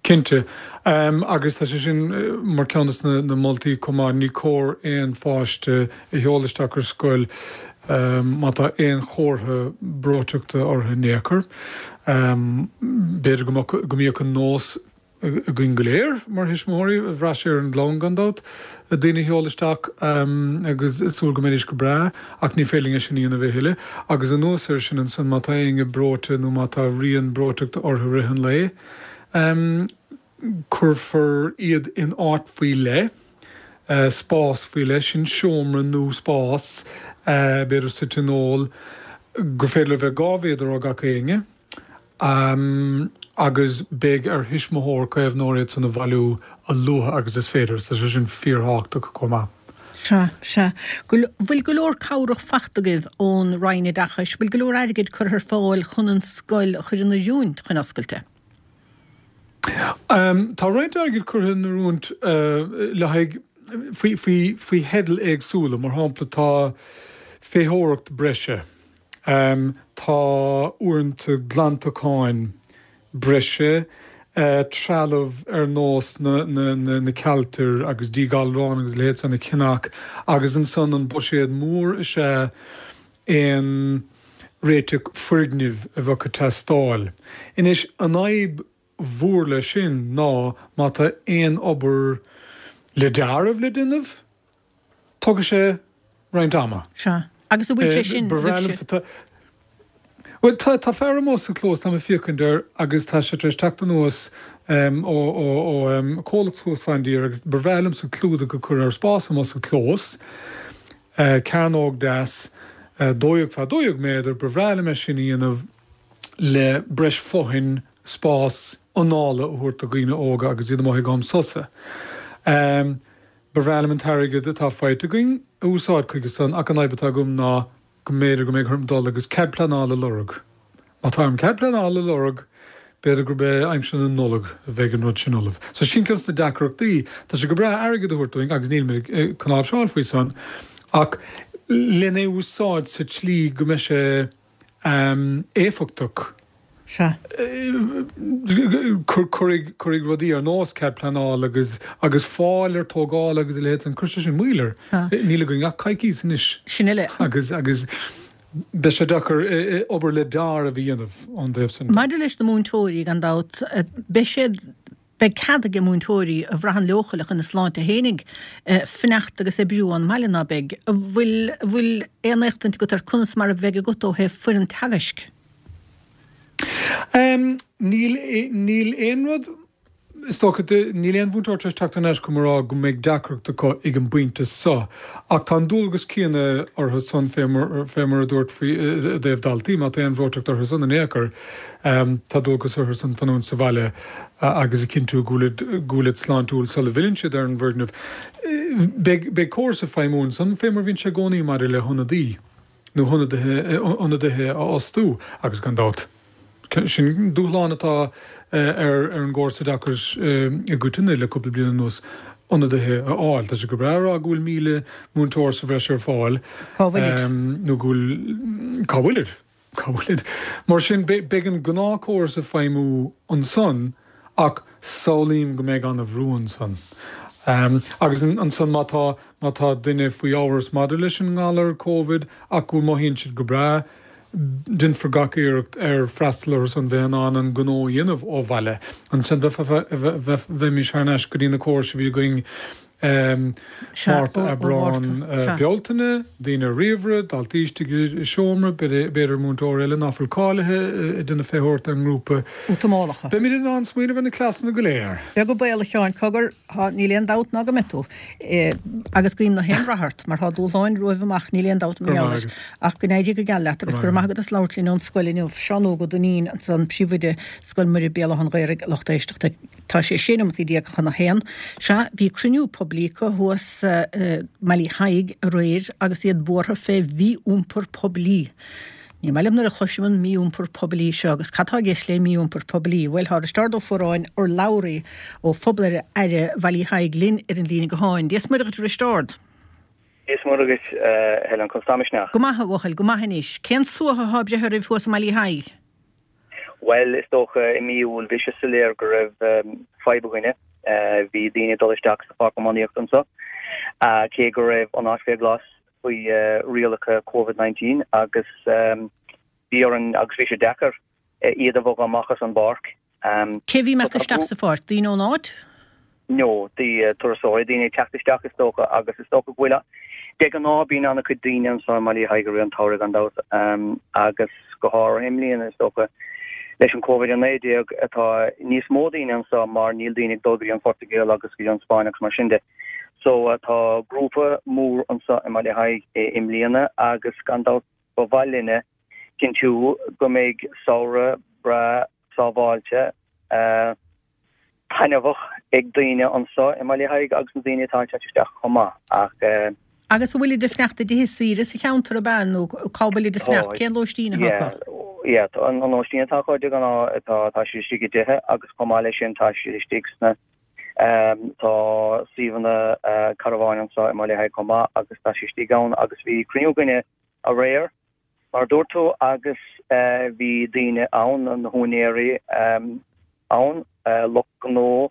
Speaker 7: Cinnte. Agus tá sé sin mar cheann de na moltaí chomh maith, ní cóir aon pháiste a sheoladh isteach ar scoil má tá aon chomhartha breoiteachta orthu in aon chor. B'fhéidir go mbeadh, go mbíodh an nós againn go léir mar thuismitheoirí, bhraith sé ar an gclann gan dabht, daoine a sheoladh isteach agus súil go mbeidís go breá, ach ní féidir linn é sin a dhéanamh a thuilleadh. Agus anuas air sin ansan, má tá éinne breoite nó má tá rian breoiteachta orthu i rith an lae, Cuirfear iad in áit faoi leith, spás faoi leith, sin seomra nó spás, b'fhéidir sa tionól, gur féidir le bheith dhá mhéadar ó gach éinne, agus beidh ar thuismitheoir, caomhnóir iad san a bhailiú a luaithe agus is féidir. Tá sé sin fíorthábhachtach chomh maith.
Speaker 1: Sea, sea. Go, bhfuil go leor cabhrach fachta agaibh ón Roinn Oideachais? Bhfuil go leor airgid curtha ar fáil chun an scoil a chur in oiriúint chun oscailte?
Speaker 7: Tá roinnt airgid curtha in oiriúint le haghaidh, faoi, faoi, faoi theidil éagsúla. Mar shampla, tá feitheoireacht breise, tá uaireanta glantacháin breise, trealamh ar nós na, na, na, na cealtair agus díghalráin agus a leithéid san a cheannach agus ansan an buiséad mór is ea aon réiteach foirgnimh a bheadh ag teastáil. Anois, an fhadhb mhór leis sin ná má tá aon obair le dearadh le déanamh, tógfaidh sé roinnt ama.
Speaker 1: Sea. Agus an bhfuil sé sin,
Speaker 7: Ba bhreá liomsa tá, bhuel, tá, tá fear amuigh sa chlós, táim ag féachaint air agus tá sé tar éis teacht anuas ó, ó, ó chomhlacht thuas fán dtír agus ba bhreá liomsa clúdach a chur ar spás amuigh sa chlós, cearnóg deas, dó dhéag fá dó dhéag méadar, ba bhreá liom é sin a dhéanamh le breis fothain, spás anála a thabhairt do dhaoine óga agus iad amuigh ag am sosa. Ba bhreá liom an t-airgead atá faighte againn a úsáid chuige san ach an fhadhb atá agam ná go mb'fhéidir go mbeidh orm dul agus cead pleanála a lorg. Má tá orm cead pleanála a lorg, b'fhéidir gurb é aimsir na Nollag a bheidh an rud sin ullamh. So sin ceann de na deacrachtaí. Tá sé go breá airgead a thabhairt dúinn agus nílimid ag cnáimhseáil faoi san ach lena úsáid sa tslí go mbeidh sé éifeachtach.
Speaker 1: Sea.
Speaker 7: Cuirfidh rudaí ar nós cead pleanála agus agus fáil ar tógáil agus a leithéid san, cuirfidh sé sin moill air. Níl againn ach coicís anois.
Speaker 1: Sin uile.
Speaker 7: Agus agus beidh sé deacair obair le deáramh a dhéanamh ón dtaobh
Speaker 1: sin de. Maidir leis na múinteoirí, gan dabht, beidh siad, beidh cead ag múinteoirí a bhraitheann leochaileach ina sláinte fhéinig fanacht agus oibriú ón mbaile, ná beidh? An bhfuil, an bhfuil aon éachtaint agat ar conas mar a bheidh agat ó thaobh foireann teagaisc?
Speaker 7: Níl, níl aon rud, is dócha, níl aon mhúinteoir tar éis teacht thar n-ais chugam a rá go mbeidh deacracht acu ag an bpointe seo. Ach tá an dualgas céanna orthu san fé mar, fé mar a dúirt faoi, i dtaobh daltaí, má tá aon bhreoiteacht orthu san in aon chor, tá dualgas orthu san fanúint sa bhaile agus a chinntiú go bhfuilid, go bhfuilid sláintiúil sula bhfilleann siad ar an bhfoirgneamh. Beidh, beidh córas ag feidhmiú ansan fé mar a bhíonn sé i gcónaí maidir le hionadaí. nó ionadaithe a fhostú agus gan dabht, sin dúshlán atá ar an gcóras oideachais i gcoitinne le cúpla bliain anuas, ionadaithe a fháil. Tá sé go breá a rá go bhfuil míle múinteoir sa bhreis ar fáil.
Speaker 1: Cá bhfuilid?
Speaker 7: Nó go bhfuil. Cá bhfuilid? Cá bhfuilid? Mar sin, beidh an gnáthchóras ag feidhmiú ansan ach samhlaím go mbeidh an-bhrú ansan. Agus ansan má tá, má tá duine faoi amhras maidir leis an ngalar Covid ach go mothaíonn siad go breá, déanfar gach iarracht ar freastal orthu san bheith in ann an gnó a dhéanamh ó bhaile. Ansan bheimis thar n-ais go dtí na córais a bhí againn Márta, Aibreán, Bealtaine, daoine ar ríomhaire, daltaí istigh i seomra, b'fhéidir múinteoir eile ná fuil cáilithe ag déanamh feitheoireacht ar an ngrúpa.
Speaker 1: Útamálacha.
Speaker 7: Beimid in ann smaoineamh ar na cleasanna go léir.
Speaker 1: Beag an baol, a Sheáin, cogar, thá, níl aon dabht ná go mbeidh tú. Agus guím na haon rath ort, mar thá dúshláin romhaibh amach, níl aon dabht mar gheall air. Ach go n-éirí go geal leat agus go raibh maith agat as labhairt linn ón scoil inniu. Seán Óg Ó Duinnín ansan, Príomhoide Scoil Muire Béal Átha an Ghaorthaidh, lucht éisteachta. Tá sé sé nóimeataí déag chun a haon. Sea, bhí cruinniú poiblí acu thuas i mBaile Thaidhg aréir agus iad buartha fé mhí-iompar poiblí. Ní maith liom nuair a chloisim an mí-iompar poiblí seo agus cad tá i gceist le mí-iompar poiblí? Bhuel, tá Risteárd Ó Fuaráin, urlabhraí ó Phobal Aire Bhaile Thaidhg linn ar an líne gutháin. Dia is Muire dhuit a Risteárd.
Speaker 8: Dia is Muire dhuit, a Helen, conas tá Misneach?
Speaker 1: Go maith, a bhuachaill, go maith anois. Cén suaitheadh atá breithe oraibh thuas i mBaile Thaidhg?
Speaker 8: Bhuel, is dócha i mí Iúil bhí sé soiléir go raibh fadhb againne. Bhí daoine ag dul isteach sa pháirc iománaíochta anseo, cé go raibh an áit fé ghlas faoi rialacha Covid nineteen agus bhí orainn, agus bhí sé deacair, iad a bhogadh amach as an bpáirc.
Speaker 1: Cé a bhí imeacht isteach sa pháirc? Daoine ón áit?
Speaker 8: No, turasóirí, daoine ag teacht isteach is dócha agus is dócha go bhfuil, de ghnáth bíonn an-chuid daoine anseo i mBaile Thaidhg i rith an tsamhraidh gan dabht agus go háirithe i mbliana is dócha leis an Covid a naoi déag atá níos mó daoine anseo mar níl daoine ag dul go dtí an Phortaingéil agus go dtí an Spáinn agus mar sin de. So tá grúpa mór anseo i mBaile Thaidhg i mbliana agus gan dabht ba mhaith linne cinntiú go mbeidh samhradh breá sábháilte taitneamhach ag daoine anseo i mBaile Thaidhg agus na daoine atá ag teacht isteach chomh maith ach.
Speaker 1: Agus an bhfuilid ag fanacht i dtithe saoire sa cheantar ab ea nó cá bhfuilid ag fanacht? Cén lóistín atá
Speaker 8: acu? Yeah, an lóistín atá acu de ghnáth tá tá siad istigh i dtithe agus chomh maith leis sin tá siad istigh sna tá suíomhanna carbháin anseo i mBaile Thaidhg chomh maith agus tá siad istigh ann agus bhí cruinniú againne aréir Mar a dúirt tú, agus bhí daoine ann, na húinéirí ann, lucht gnó,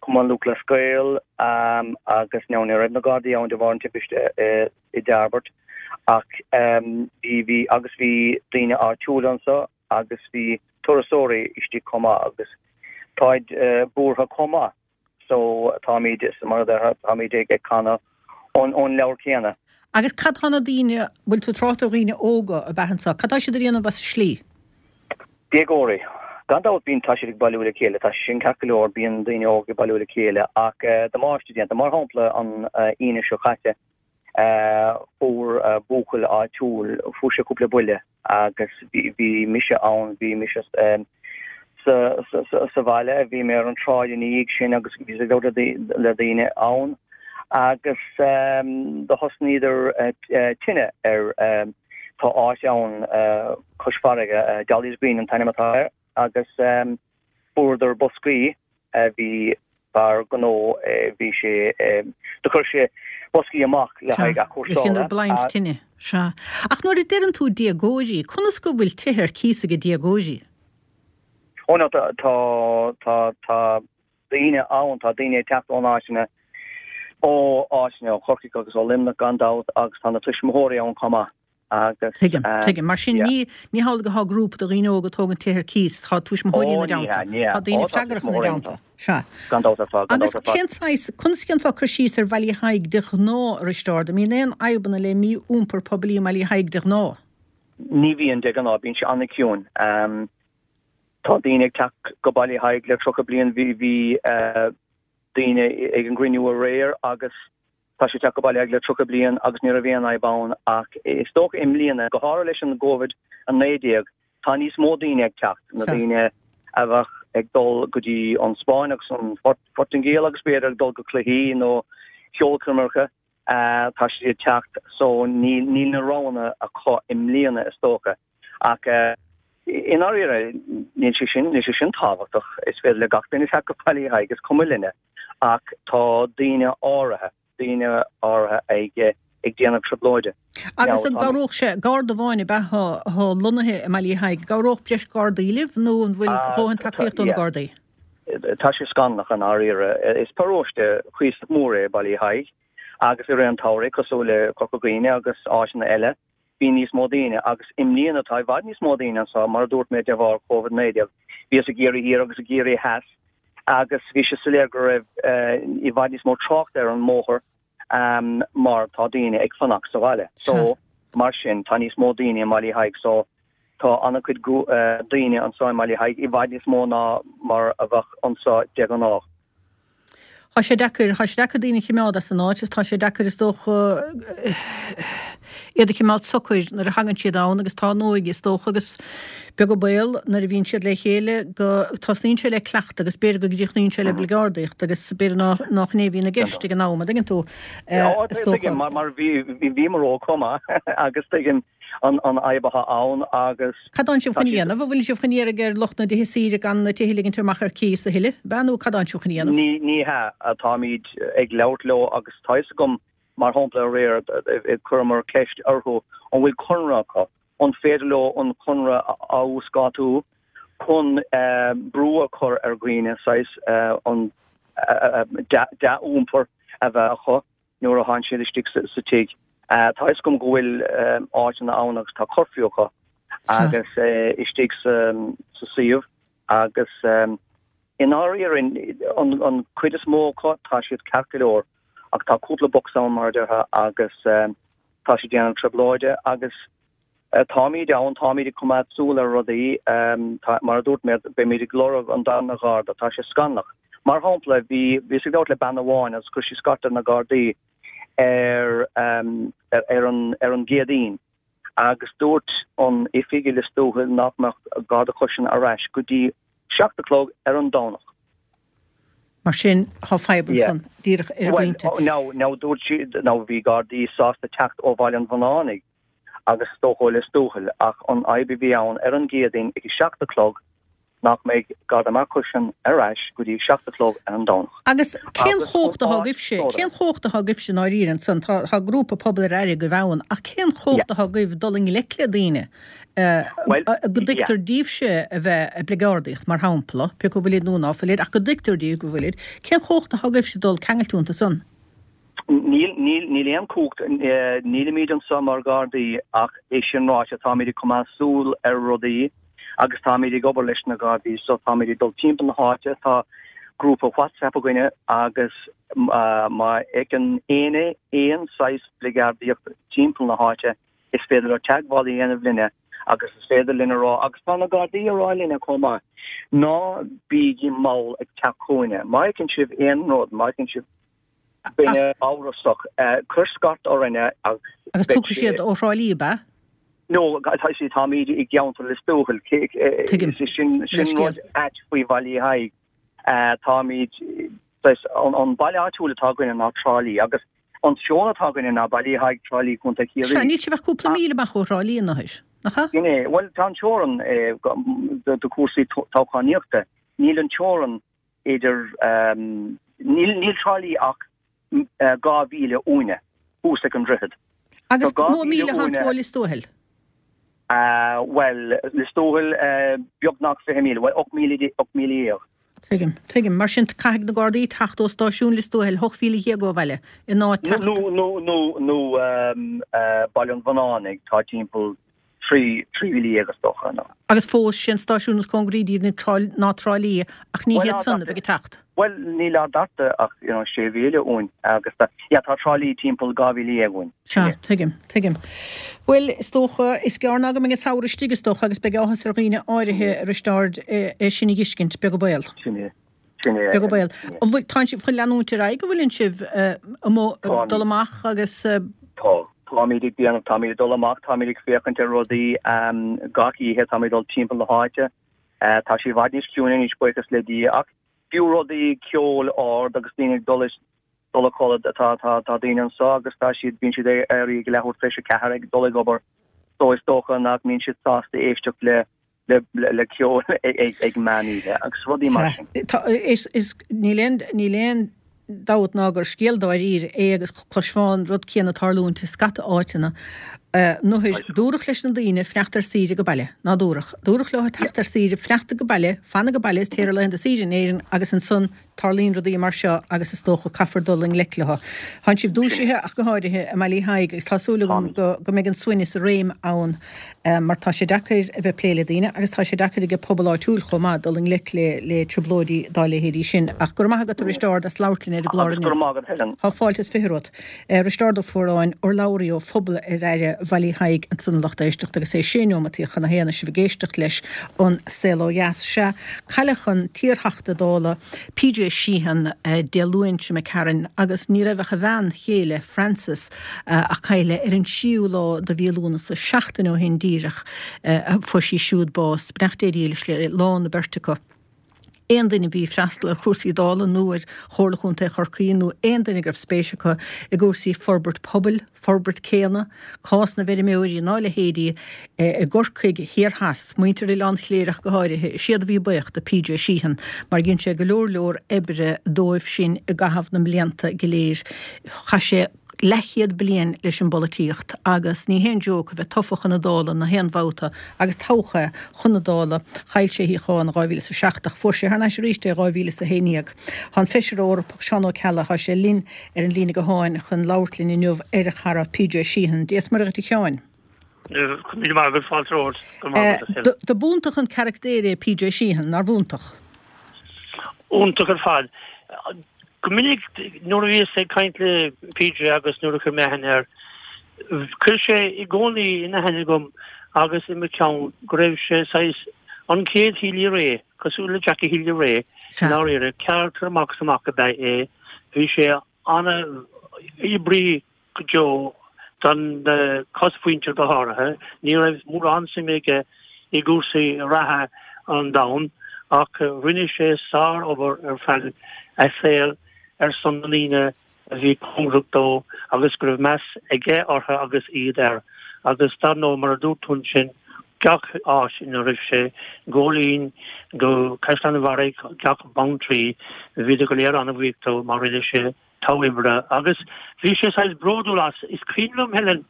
Speaker 8: Cumann Lúthchleas Gael agus now ní raibh na Gardaí ann de bharr an timpiste i dTairbeart ach bhí, bhí agus bhí daoine áitiúla anseo agus bhí turasóirí istigh chomh maith agus táid buartha chomh maith. So táimid, mar a déarfá, táimid ag canadh ón leabhar céanna.
Speaker 1: Agus cad tá na daoine, bhfuil tú ag trácht ar dhaoine óga ab ea anseo, cad tá siad a dhéanamh as an slí?
Speaker 8: Déagóirí. Gan dabht bíonn, tá siad ag bailiú le chéile, tá sé sin ceart go leor, bíonn daoine óga ag bailiú le chéile ach damáiste déanta. Mar shampla an Aoine seo caite fuair buachaill áitiúil, fuair sé cúpla buille agus bhí mise ann, bhí mise sa bhaile, bhí mé ar an tsráid ina dhiaidh sin agus bhíos ag labhairt le daoine ann Agus do thosnaíodar tine ar, tá áit ann cois farraige, Dolly's Green an t-ainm atá air, agus fuaireadar boscaí, bhí fear gnó, bhí sé, do chuir sé boscaí amach le haghaidh
Speaker 1: athchúrsála. Is ionadh blind tine, sea. Ach nuair a deireann tú déagóirí, conas go bhfuil tithe ar cíos ag déagóirí?
Speaker 8: Ó no, tá, tá, tá daoine ann, tá daoine ag teacht ón áiteanna, ó áiteanna, ó Chorcaigh agus ó Luimneach gan dabht agus tá na tuismitheoirí ann chomh maith agus.
Speaker 1: Tuigim, tuigim. Mar sin ní, ní hamhlaidh atá grúpa de dhaoine óga ag tógaint tithe ar cíos, tá tuismitheoirí ina dteannta. Tá daoine freagrach ina dteannta. Sea.
Speaker 8: Gan dabht ar fad, gan
Speaker 1: Agus
Speaker 8: dabht ar fad.
Speaker 1: cén saghas, conas a dhéanfá cur síos ar Bhaile Thaidhg de ghnáth, a Risteárd? An mbíonn aon fhadhbanna le mí-iompar poiblí i mBaile Thaidhg de ghnáth?
Speaker 8: Ní bhíonn de ghnáth, bíonn sé an-chiúin. Tá daoine ag teacht go Baile Thaidhg le tríocha bliain, bhí bhí daoine ag an gcruinniú aréir agus tá siad ag teacht go Baile Thaidhg le tríocha bliain agus ní raibh aon fhadhb ann ach is dócha i mbliana, go háirithe leis an gCovid a naoi déag, tá níos mó daoine ag teacht, na daoine a bheadh ag dul go dtí an Spáinn agus an Phortaingéil agus b'fhéidir ag dul go cluichí nó ceolchoirmeacha, tá siad ag teacht so níl níl na roghanna acu i mbliana is dócha. Ach i ndáiríre, níl sé sin, níl sé sin tábhachtach. Is féidir le gach duine teacht go Baile Thaidhg, is cuma linne. Ach tá daoine áirithe, daoine áirithe ag, ag déanamh trioblóide.
Speaker 1: Agus an gcabhródh sé, garda amháin ab ea atá lonnaithe i mBaile Thaidhg, an gcabhródh breis gardaí libh nó an bhfuil dóthain tacaíochta ó na gardaí?
Speaker 8: Tá sé scannalach i ndáiríre. Is paróiste cuíosach mór é Baile Thaidhg agus i rith an tsamhraidh, cosúil le Corca Dhuibhne agus áiteanna eile, bhí níos mó daoine agus i mbliana tá i bhfad níos mó daoine anseo, mar a dúirt mé, de bharr Covid naoi déag. Bhíothas ag iarraidh thiar agus ag iarraidh theas agus bhí sé soiléir go raibh i bhfad níos mó tráchta ar an mbóthar mar tá daoine ag fanacht sa bhaile. So, mar sin, tá níos mó daoine i mBaile Thaidhg so tá an-chuid daoine anseo i mBaile Thaidhg, i bhfad níos mó ná mar a bheadh anseo de ghnáth.
Speaker 1: Tá sé deacair, tá sé deacair daoine a chimeád as an áit is tá sé deacair is dócha iad a chimeád socair nuair a thagann siad ann agus tá an óige is dócha agus beag an baol nuair a bhíonn siad le chéile go tosnaíonn sé le cleachtadh agus b'fhéidir go gcríochnaíonn sé le bligeardaíocht agus b'fhéidir ná nach in é a bhíonn i gceist ag an am, an dtuigeann tú,
Speaker 8: is dócha. Tuigim mar bhí bhíomar óg chomh maith agus tuigim an fhadhb atá ann agus.
Speaker 1: Cad tánn sibh chun a dhéanamh? An bhfuil sibh chun iarraidh ar lucht na dtithe saoire gan na tithe a ligint amach ar cíos a thuilleadh, ab ea, nó cad tánn sibh chun a dhéanamh?
Speaker 8: Ní, ní hea. Táimid ag labhairt leo agus tá fhios agam, mar shampla, aréir chuireamar ceist orthu an bhfuil conradh acu, an féidir leo an conradh a uasdátú chun brú a chur ar dhaoine saghas an dea-iompar a bheith acu. nuair a tánn siad istigh sa tigh. Tá fhios agam go bhfuil áiteanna ann agus tá curfew acu agus istigh sa suíomh agus i ndáiríre an chuid is mó acu tá siad ceart go leor ach tá cúpla box ann mar a déarfá agus tá siad ag déanamh trioblóide agus Táimid ann, táimid ag coimeád súil ar rudaí. Mar a dúirt mé, beimid ag lorg an darna gharda. Tá sé scannalach. Mar shampla, bhí, bhíos ag labhairt le bean amháin agus chuir sí scairt ar na Gardaí ar, ar an, ar an gCéadaoin agus dúirt an oifig i Lios Tuathail nach mbeadh Garda Cushion ar ais go dtí seacht a chlog ar an Domhnach.
Speaker 1: Mar sin, tá fadhb ansan, díreach ar an bpointe.
Speaker 8: Bhuel, now, now dúirt sí, now bhí Gardaí sásta teacht ó Bhaile an Bhunánaigh agus is dócha ó Lios Tuathail, ach an fhadhb a bhí ann ar an gCéadaoin ag a seacht a chlog nach mbeidh Garda Mark Cushion ar ais go dtí a seacht a chlog ar an Domhnach.
Speaker 1: Agus cén chumhacht atá agaibhse, cén chumhacht atá agaibhse i ndáiríre ansan? Tá, tá grúpa pobail ar aire agaibh ann, ach cén chumhacht atá agaibh dul i ngleic le daoine go dtuigtear daoibhse a bheith ag bligeardaíocht, mar shampla, pé acu bhfuilid nó ná fuilid, ach go dtuigtear daoibh go bhfuilid, cén chumhacht atá agaibhse dul ceangailt iontu san?
Speaker 8: Níl, níl, níl aon chumhacht, nílimid anseo mar Ghardaí ach é sin ráite táimid ag coimeád súil ar rudaí agus táimid ag obair leis na Gardaí so táimid ag dul timpeall na háite, tá grúpa WhatsApp againne agus má fheiceann éinne aon saghas bligeardaíocht timpeall na háite is féidir leo teagmháil a dhéanamh linne agus is féidir linn a rá, agus tá na Gardaí ag rá linne chomh maith, ná bígí mall ag teacht chugainne, má fheiceann sibh aon rud, má fheiceann sibh. Duine amhrasach, cuir scairt orainne
Speaker 1: agus Agus beidh tiocfaidh siad ó Thrá Lí, ab ea?
Speaker 8: No, tá sí, táimid i gceantar Lios Tuathail.
Speaker 1: Tuigim.
Speaker 8: Sin, sin rud ait faoi Bhaile Thaidhg. Táimid Saghas, an baile áitiúil atá againne ná Trá Lí agus an teorainn atá againne ná Baile Uí Thaidhg, Trá Lí, Contae
Speaker 1: Sea,
Speaker 8: Chiarraí.
Speaker 1: níl sibh ach cúpla míle amach ó Thrá Lí anois, nach ea?
Speaker 8: Sin é. Bhuel, tá an teorainn do chúrsaí toghchánaíochta. Níl an teorainn idir, níl, níl Trá Lí ach dhá mhíle uainne, thuas ag an droichead.
Speaker 1: Agus dhá mhíle atá tú ó Lios Tuathail?
Speaker 8: Bhuel, Lios Tuathail, beagnach fiche míle, bhuel, ocht míle, ocht míle dhéag.
Speaker 1: Tuigim, tuigim. Mar sin, caithfidh na Gardaí teacht ó stáisiún Lios Tuathail, ocht mhíle dhéag ó bhaile, in áit teacht.
Speaker 8: Nó, nó, nó, nó Baile an Bhonnánaigh, tá timpeall trí, trí mhíle dhéag is dócha, nó.
Speaker 1: Agus fós, sé an stáisiún is cóngaraí díobh ná Trá Lí, ach ní hiad san a bheidh ag teacht.
Speaker 8: Bhuel, níl ár dtata ach, you know, sé mhíle uainn agus tá, yeah, tá Trá Lí timpeall dhá mhíle dhéag uainn.
Speaker 1: Sea, tuigim, tuigim. Bhuel, is dócha, is gearr ná go mbeidh an samhradh istigh, is dócha, agus beidh áthas ar dhaoine áirithe, a Risteaird, é sin a dh'fheiscint, beag an baol.
Speaker 8: Sin é, sin é.
Speaker 1: Beag an baol. An bhfuil, tánn sibh chun leanúint ar aghaidh, an bhfuileann sibh amuigh, ag dul amach agus.
Speaker 8: Tá. Táimid ag déanamh, táimid ag dul amach, táimid ag féachaint ar rudaí gach oíche, táimid ag dul timpeall na háite. Tá sé i bhfad níos ciúine anois, buíochas le Dia, ach fiú rudaí ceol ard agus daoine ag dul dul a codladh, tá tá tá daoine anseo agus tá siad bíonn siad ag éirí ag leathuair tar éis a ceathair ag dul ag obair so is dócha nach mbíonn siad sásta éisteacht le le le ceol ag ag meán oíche agus rudaí mar sin.
Speaker 1: Tá is is níl aon níl aon dabht ná gur scéal dáiríre é agus chloisfeá an rud céanna ag tarlúint i scata áiteanna. Nuair dúradh leis na daoine fanacht ar saoire go baile, ná dúradh. Dúradh leo teacht ar saoire, fanacht go baile, fan go baile is téir ar laethanta saoire in Éirinn agus ansan tarlaíonn rudaí mar seo agus is dócha caithfear dul i ngleic leo. Tánn sibh dúisithe ach go háirithe i mBaile Uí Thaidhg agus tá súil agam go go mbeidh an suaimhneas i réim ann mar tá sé deacair a bheith ag plé le daoine agus tá sé deacair ag an pobal áitiúil chomh maith dul i ngleic le le trioblóidí dá leithéidí sin. Ach go raibh maith agat a Risteárd as labhairt linn ar an gclár
Speaker 8: Agus go
Speaker 1: inniu.
Speaker 8: raibh maith agat Helen.
Speaker 1: Tá fáilte is fiche romhat. Risteárd Ó Fuaráin, urlabhraí ó Phobal ar Aire Bhaile Uí Thaidhg ansan a lucht éisteachta agus é sé neomataí chun a haon is sibh ag éisteacht leis an Saol Ó Dheas. Sea, cailleadh an t-iarTheachta Dála P J Sheehan Dé Luain seo imigh tharainn agus ní raibh ach a bhean chéile Frances ach cailleadh ar an tríú lá de mhí Lúnasa, seachtain ó shin díreach, a fuair sí siúd bás. Beannacht Dé dhílis le lán na beirte acu. Aon duine a bhí ag freastal ar chúrsaí Dála nó ar Chomhairle Chontae Chorcaí nó aon duine go raibh spéis acu i gcúrsaí forbairt pobail, forbairt céanna, cás na bhfeirmeoirí ná a leithéidí i gCorcaigh thiar theas, muintir Oileán Chléire ach go háirithe, is iad a bhí buíoch de P J Sheehan mar dhein sé go leor leor oibre dóibh sin i gcaitheamh na mblianta go léir. Chaith sé leathchéad bliain leis an bpolaitíocht agus ní haon joke a bheith tofa chun na Dála na haon bhabhta agus toghadh é chun na Dála. Chaill sé a shuíochán in dhá mhíle is a seacht ach fuair sé thar n-ais arís é in dhá mhíle is a haon déag. Tá an Feisire Eorpach Seán Ó Ceallaigh, tá sé linn ar an líne gutháin chun labhairt linn inniu ar a chara P J Sheehan. Dia is Muire dhuit a Sheáin.
Speaker 9: Míle maith agat, fáilte romhat. Go raibh maith agat, a Helen.
Speaker 1: Do b'iontach an carachtar é P J Sheehan, nár bh'iontach?
Speaker 9: Iontach ar fad. Go minic nuair a bhíos ag caint le P J agus nuair a chuir mé aithne air, chuir sé i gcónaí in aithne agam agus i mo cheann go raibh sé saghas an chéad Healy-Rae, cosúil le Jackie Healy-Rae, i ndáiríre, carachtar amach is amach ab ea é. Bhí sé an-oibrí go deo don chosmhuintir go háirithe. Ní raibh mórán suime aige i gcúrsaí reatha an domhain ach rinne sé sár-obair ar feadh a shaoil ar son na ndaoine a bhí cóngarach dó agus go raibh meas aige orthu agus iad air. Agus dar ndóigh, mar a dúirt tú ansin, gach áit ina raibh sé, Góilín go Caisleán an Bharraigh, gach Beanntraí, bhíodar go léir an-bhuíoch dó mar rinne sé togha oibre agus bhí sé saghas bródúil as. Is cuimhin liom, Helen,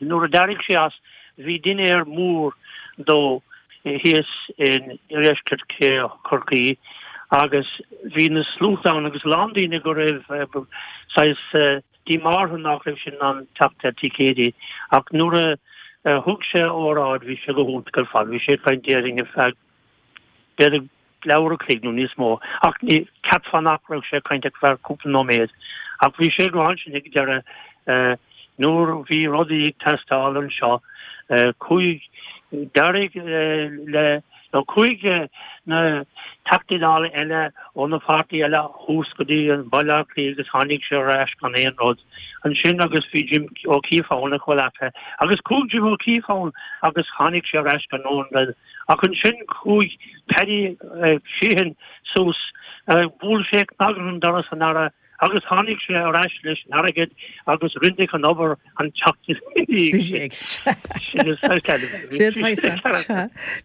Speaker 9: nuair a d'éirigh sé as, bhí dinnéar mór dó thíos in iardheisceart Chorcaí agus bhí na sluaite ann agus a lán daoine go raibh saghas díomá orthu nach raibh siad in ann teacht ar ticéidí ach nuair a thug sé a óráid bhí sé go hiontach ar fad. Bhí sé ag caint déarfainn ar feadh b'fhéidir leathuair a chloig nó níos mó, ach ní cheapfá nach raibh sé ag caint ach ar feadh cúpla nóiméad. Ach bhí sé ag rá ansin ag deireadh, nuair a bhí rudaí ag teastáil anseo, chuaigh, d'éirigh le, nó chuaigh na Teachtaí Dála eile ó na pháirtí eile thuas go dtí an Baile Átha Cliath agus tháinig sé ar ais gan aon rud ansin agus bhí Jim O'Keeffe ann a chomhleacaithe agus chuaigh Jim O'Keeffe ann agus tháinig sé ar ais gan aon rud ach ansin chuaigh Paddy Sheehan suas bhuail sé cnag ar an doras an Aire Agus tháinig sé ar ais leis an airgead agus rinneadh an obair an tseachtain ina dhiaidh sin.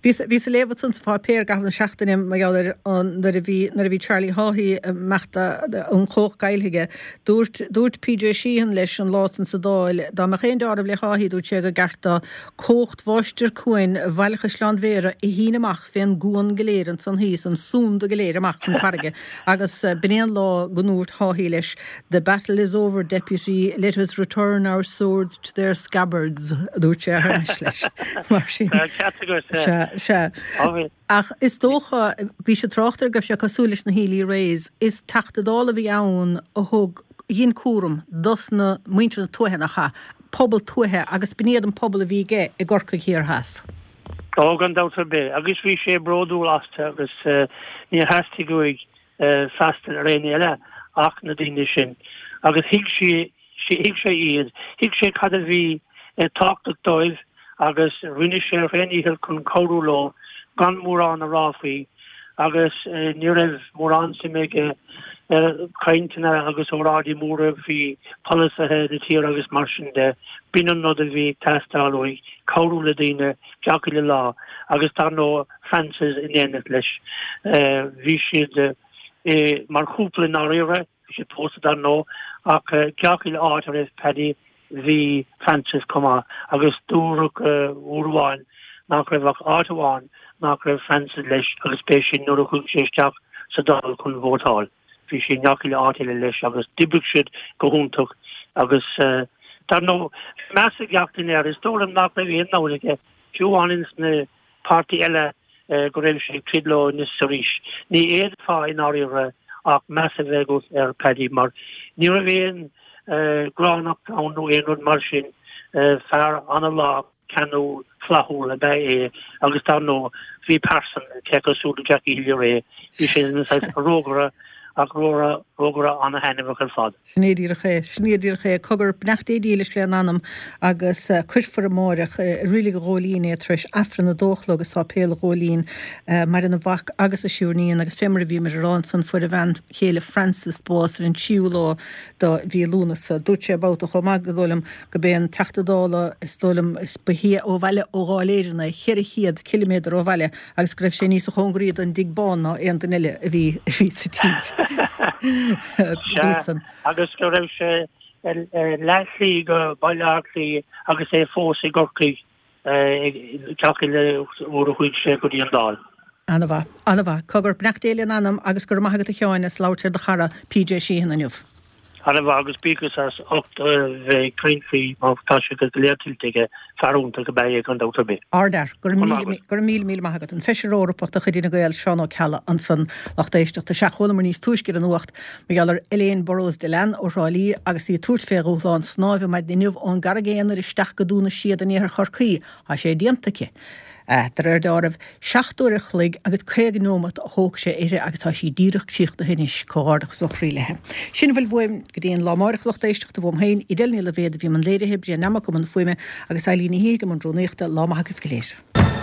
Speaker 1: Bhíos ag léamh ansan sa pháipéar i gcaitheamh na seachtaine mar gheall ar nuair a bhí nuair a bhí Charlie Haughey ag imeacht an chumhacht caillte aige. Dúirt dúirt PJ Sheehan leis an lá san sa Dáil dá mbeadh aon deáramh le Haughey dúirt sé gur gceart dó cumhacht Mháistir Cuain Bhaile Chaisleáin Bhéarra a shíneadh amach fén gcuan go léir ansan thíos, an sunda go léir amach chun farraige agus b'in é an lá go ndúirt Haughey leis, The battle is over, Deputy, let us return our swords to their scabbards, a dúirt sé thar n-ais leis. Mar sin.
Speaker 9: Tá ceart agat.
Speaker 1: Sea, sea. Ach is dócha, bhí sé ag trácht air go raibh sé cosúil leis na Healy-Raes. Is Teachta Dála a bhí ann a thug, a dhein cúram dos na muintir na tuaithe, nach ea? Pobal tuaithe agus b'in iad an pobal a bhí aige i gCorcaigh Thiar Theas.
Speaker 9: Ó, gan dabht ar bith. Agus bhí sé bródúil astu agus níor theastaigh uaidh freastal ar éinne eile ach na daoine sin. Agus thuig sé, thuig sé iad, thuig sé cad a bhí tábhachtach dóibh agus rinne sé a thréandícheall chun cabhrú leo gan mórán a rá faoi agus ní raibh mórán suime aige i gcainteanna agus óráidí móra faoi pholasaithe na tíre agus mar sin de. B'in an rud a bhí ag teastáil uaidh, cabhrú le daoine gach uile lá agus dar ndóigh Frances in éineacht leis. Bhí siad mar chúpla i ndáiríre, bhí siad pósta dar ndóigh, ach gach uile áit a raibh Paddy bhí Frances chomh maith agus dúradh uair amháin nach raibh ach áit amháin nach raibh Frances leis agus b'é sin nuair a chuaigh sé isteach sa Dáil chun vótáil. Bhí sí i ngach uile áit eile leis agus d'oibrigh siad go hiontach agus dar ndóigh bhí meas ag gach duine air. Is dóigh liom nach raibh aon namhaid aige, fiú amháin ins na páirtí eile go raibh sé ag troid leo anois is arís. Ní fhéadfá i ndáiríre ach meas a bheith agat ar Paddy mar ní raibh aon ghránnacht ann nó aon rud mar sin. Fear an-lách, ceanúil, flaithiúil ab ea é agus dar ndóigh bhí pearsan cé cosúil le Jackie Healy-Rae, bhí sé ina saghas rógaire ach rógaire an-thaitneamhach ar fad.
Speaker 1: Sin é díreach é. Sin é díreach é. Cogar, beannacht Dé dílis lena anam agus cuirfear amáireach i Reilig an Ghóilín é tar éis Aifreann a dó a chlog i Sáipéal an Ghóilín. Maireann a mhac agus a thriúr níon agus fé mar a bhíomar a rá ansan fuair a bhean chéile Frances bás ar an tríú lá do mhí Lúnasa. Dúirt sé babhta chomh maith go dóigh liom go b'é an Teachta Dála is dóigh liom is ba shia ó bhaile ó Dháil Éireann é, cheithre chéad ciliméadar ó bhaile agus go raibh sé níosa chóngaraí don dTigh Bán ná aon duine eile a bhí a bhí sa tír.
Speaker 9: Sea, agus go raibh sé leathshlí go Baile Átha Cliath agus é fós i gCorcaigh gach uile uair a chuaigh sé go dtí an Dáil.
Speaker 1: Ana-mhaith. Ana-mhaith. Cogar, beannacht Dé lena anam agus go raibh maith agat a Sheáin as labhairt ar do chara PJ Sheehan inniu.
Speaker 9: Ana-mhaith agus buíochas as ucht a bheith ag caint faoi mar tá sé go léir tuillte aige, fear iontach ab ea é gan dabht ar bith.
Speaker 1: Ardfhear. Go raibh míle, go raibh míle míle maith agat. An Feisire Eorpach de chuid Fhine Gael, Seán Ó Ceallaigh ansan, lucht éisteachta. Sea, chualamar níos túisce ar an nuacht mar gheall ar Elaine Burrows Dillane ó Thrá Lí agus í ag tabhairt fé dhúshlán snáimhe maidin inniu ón gCarraig Aonair isteach go Dún na Séad in iarthar Chorcaí. Tá sé déanta aici. De réir deáraimh, seacht uair a chloig agus caoga neomat a thóg sé uirthi agus tá sí díreach críochnaithe anois. Comhghairdeachas ó chroí léi. Sin a bhfuil uaim go dtí an lá amáireach, lucht éisteachta, uaim féin, Edel Ní Loibhéad a bhí i mbun léirithe, Brian Nammock i mbun na fuaime agus Eileen Ní Shíthigh i mbun rúnaíochta. Lá maith agaibh go léir.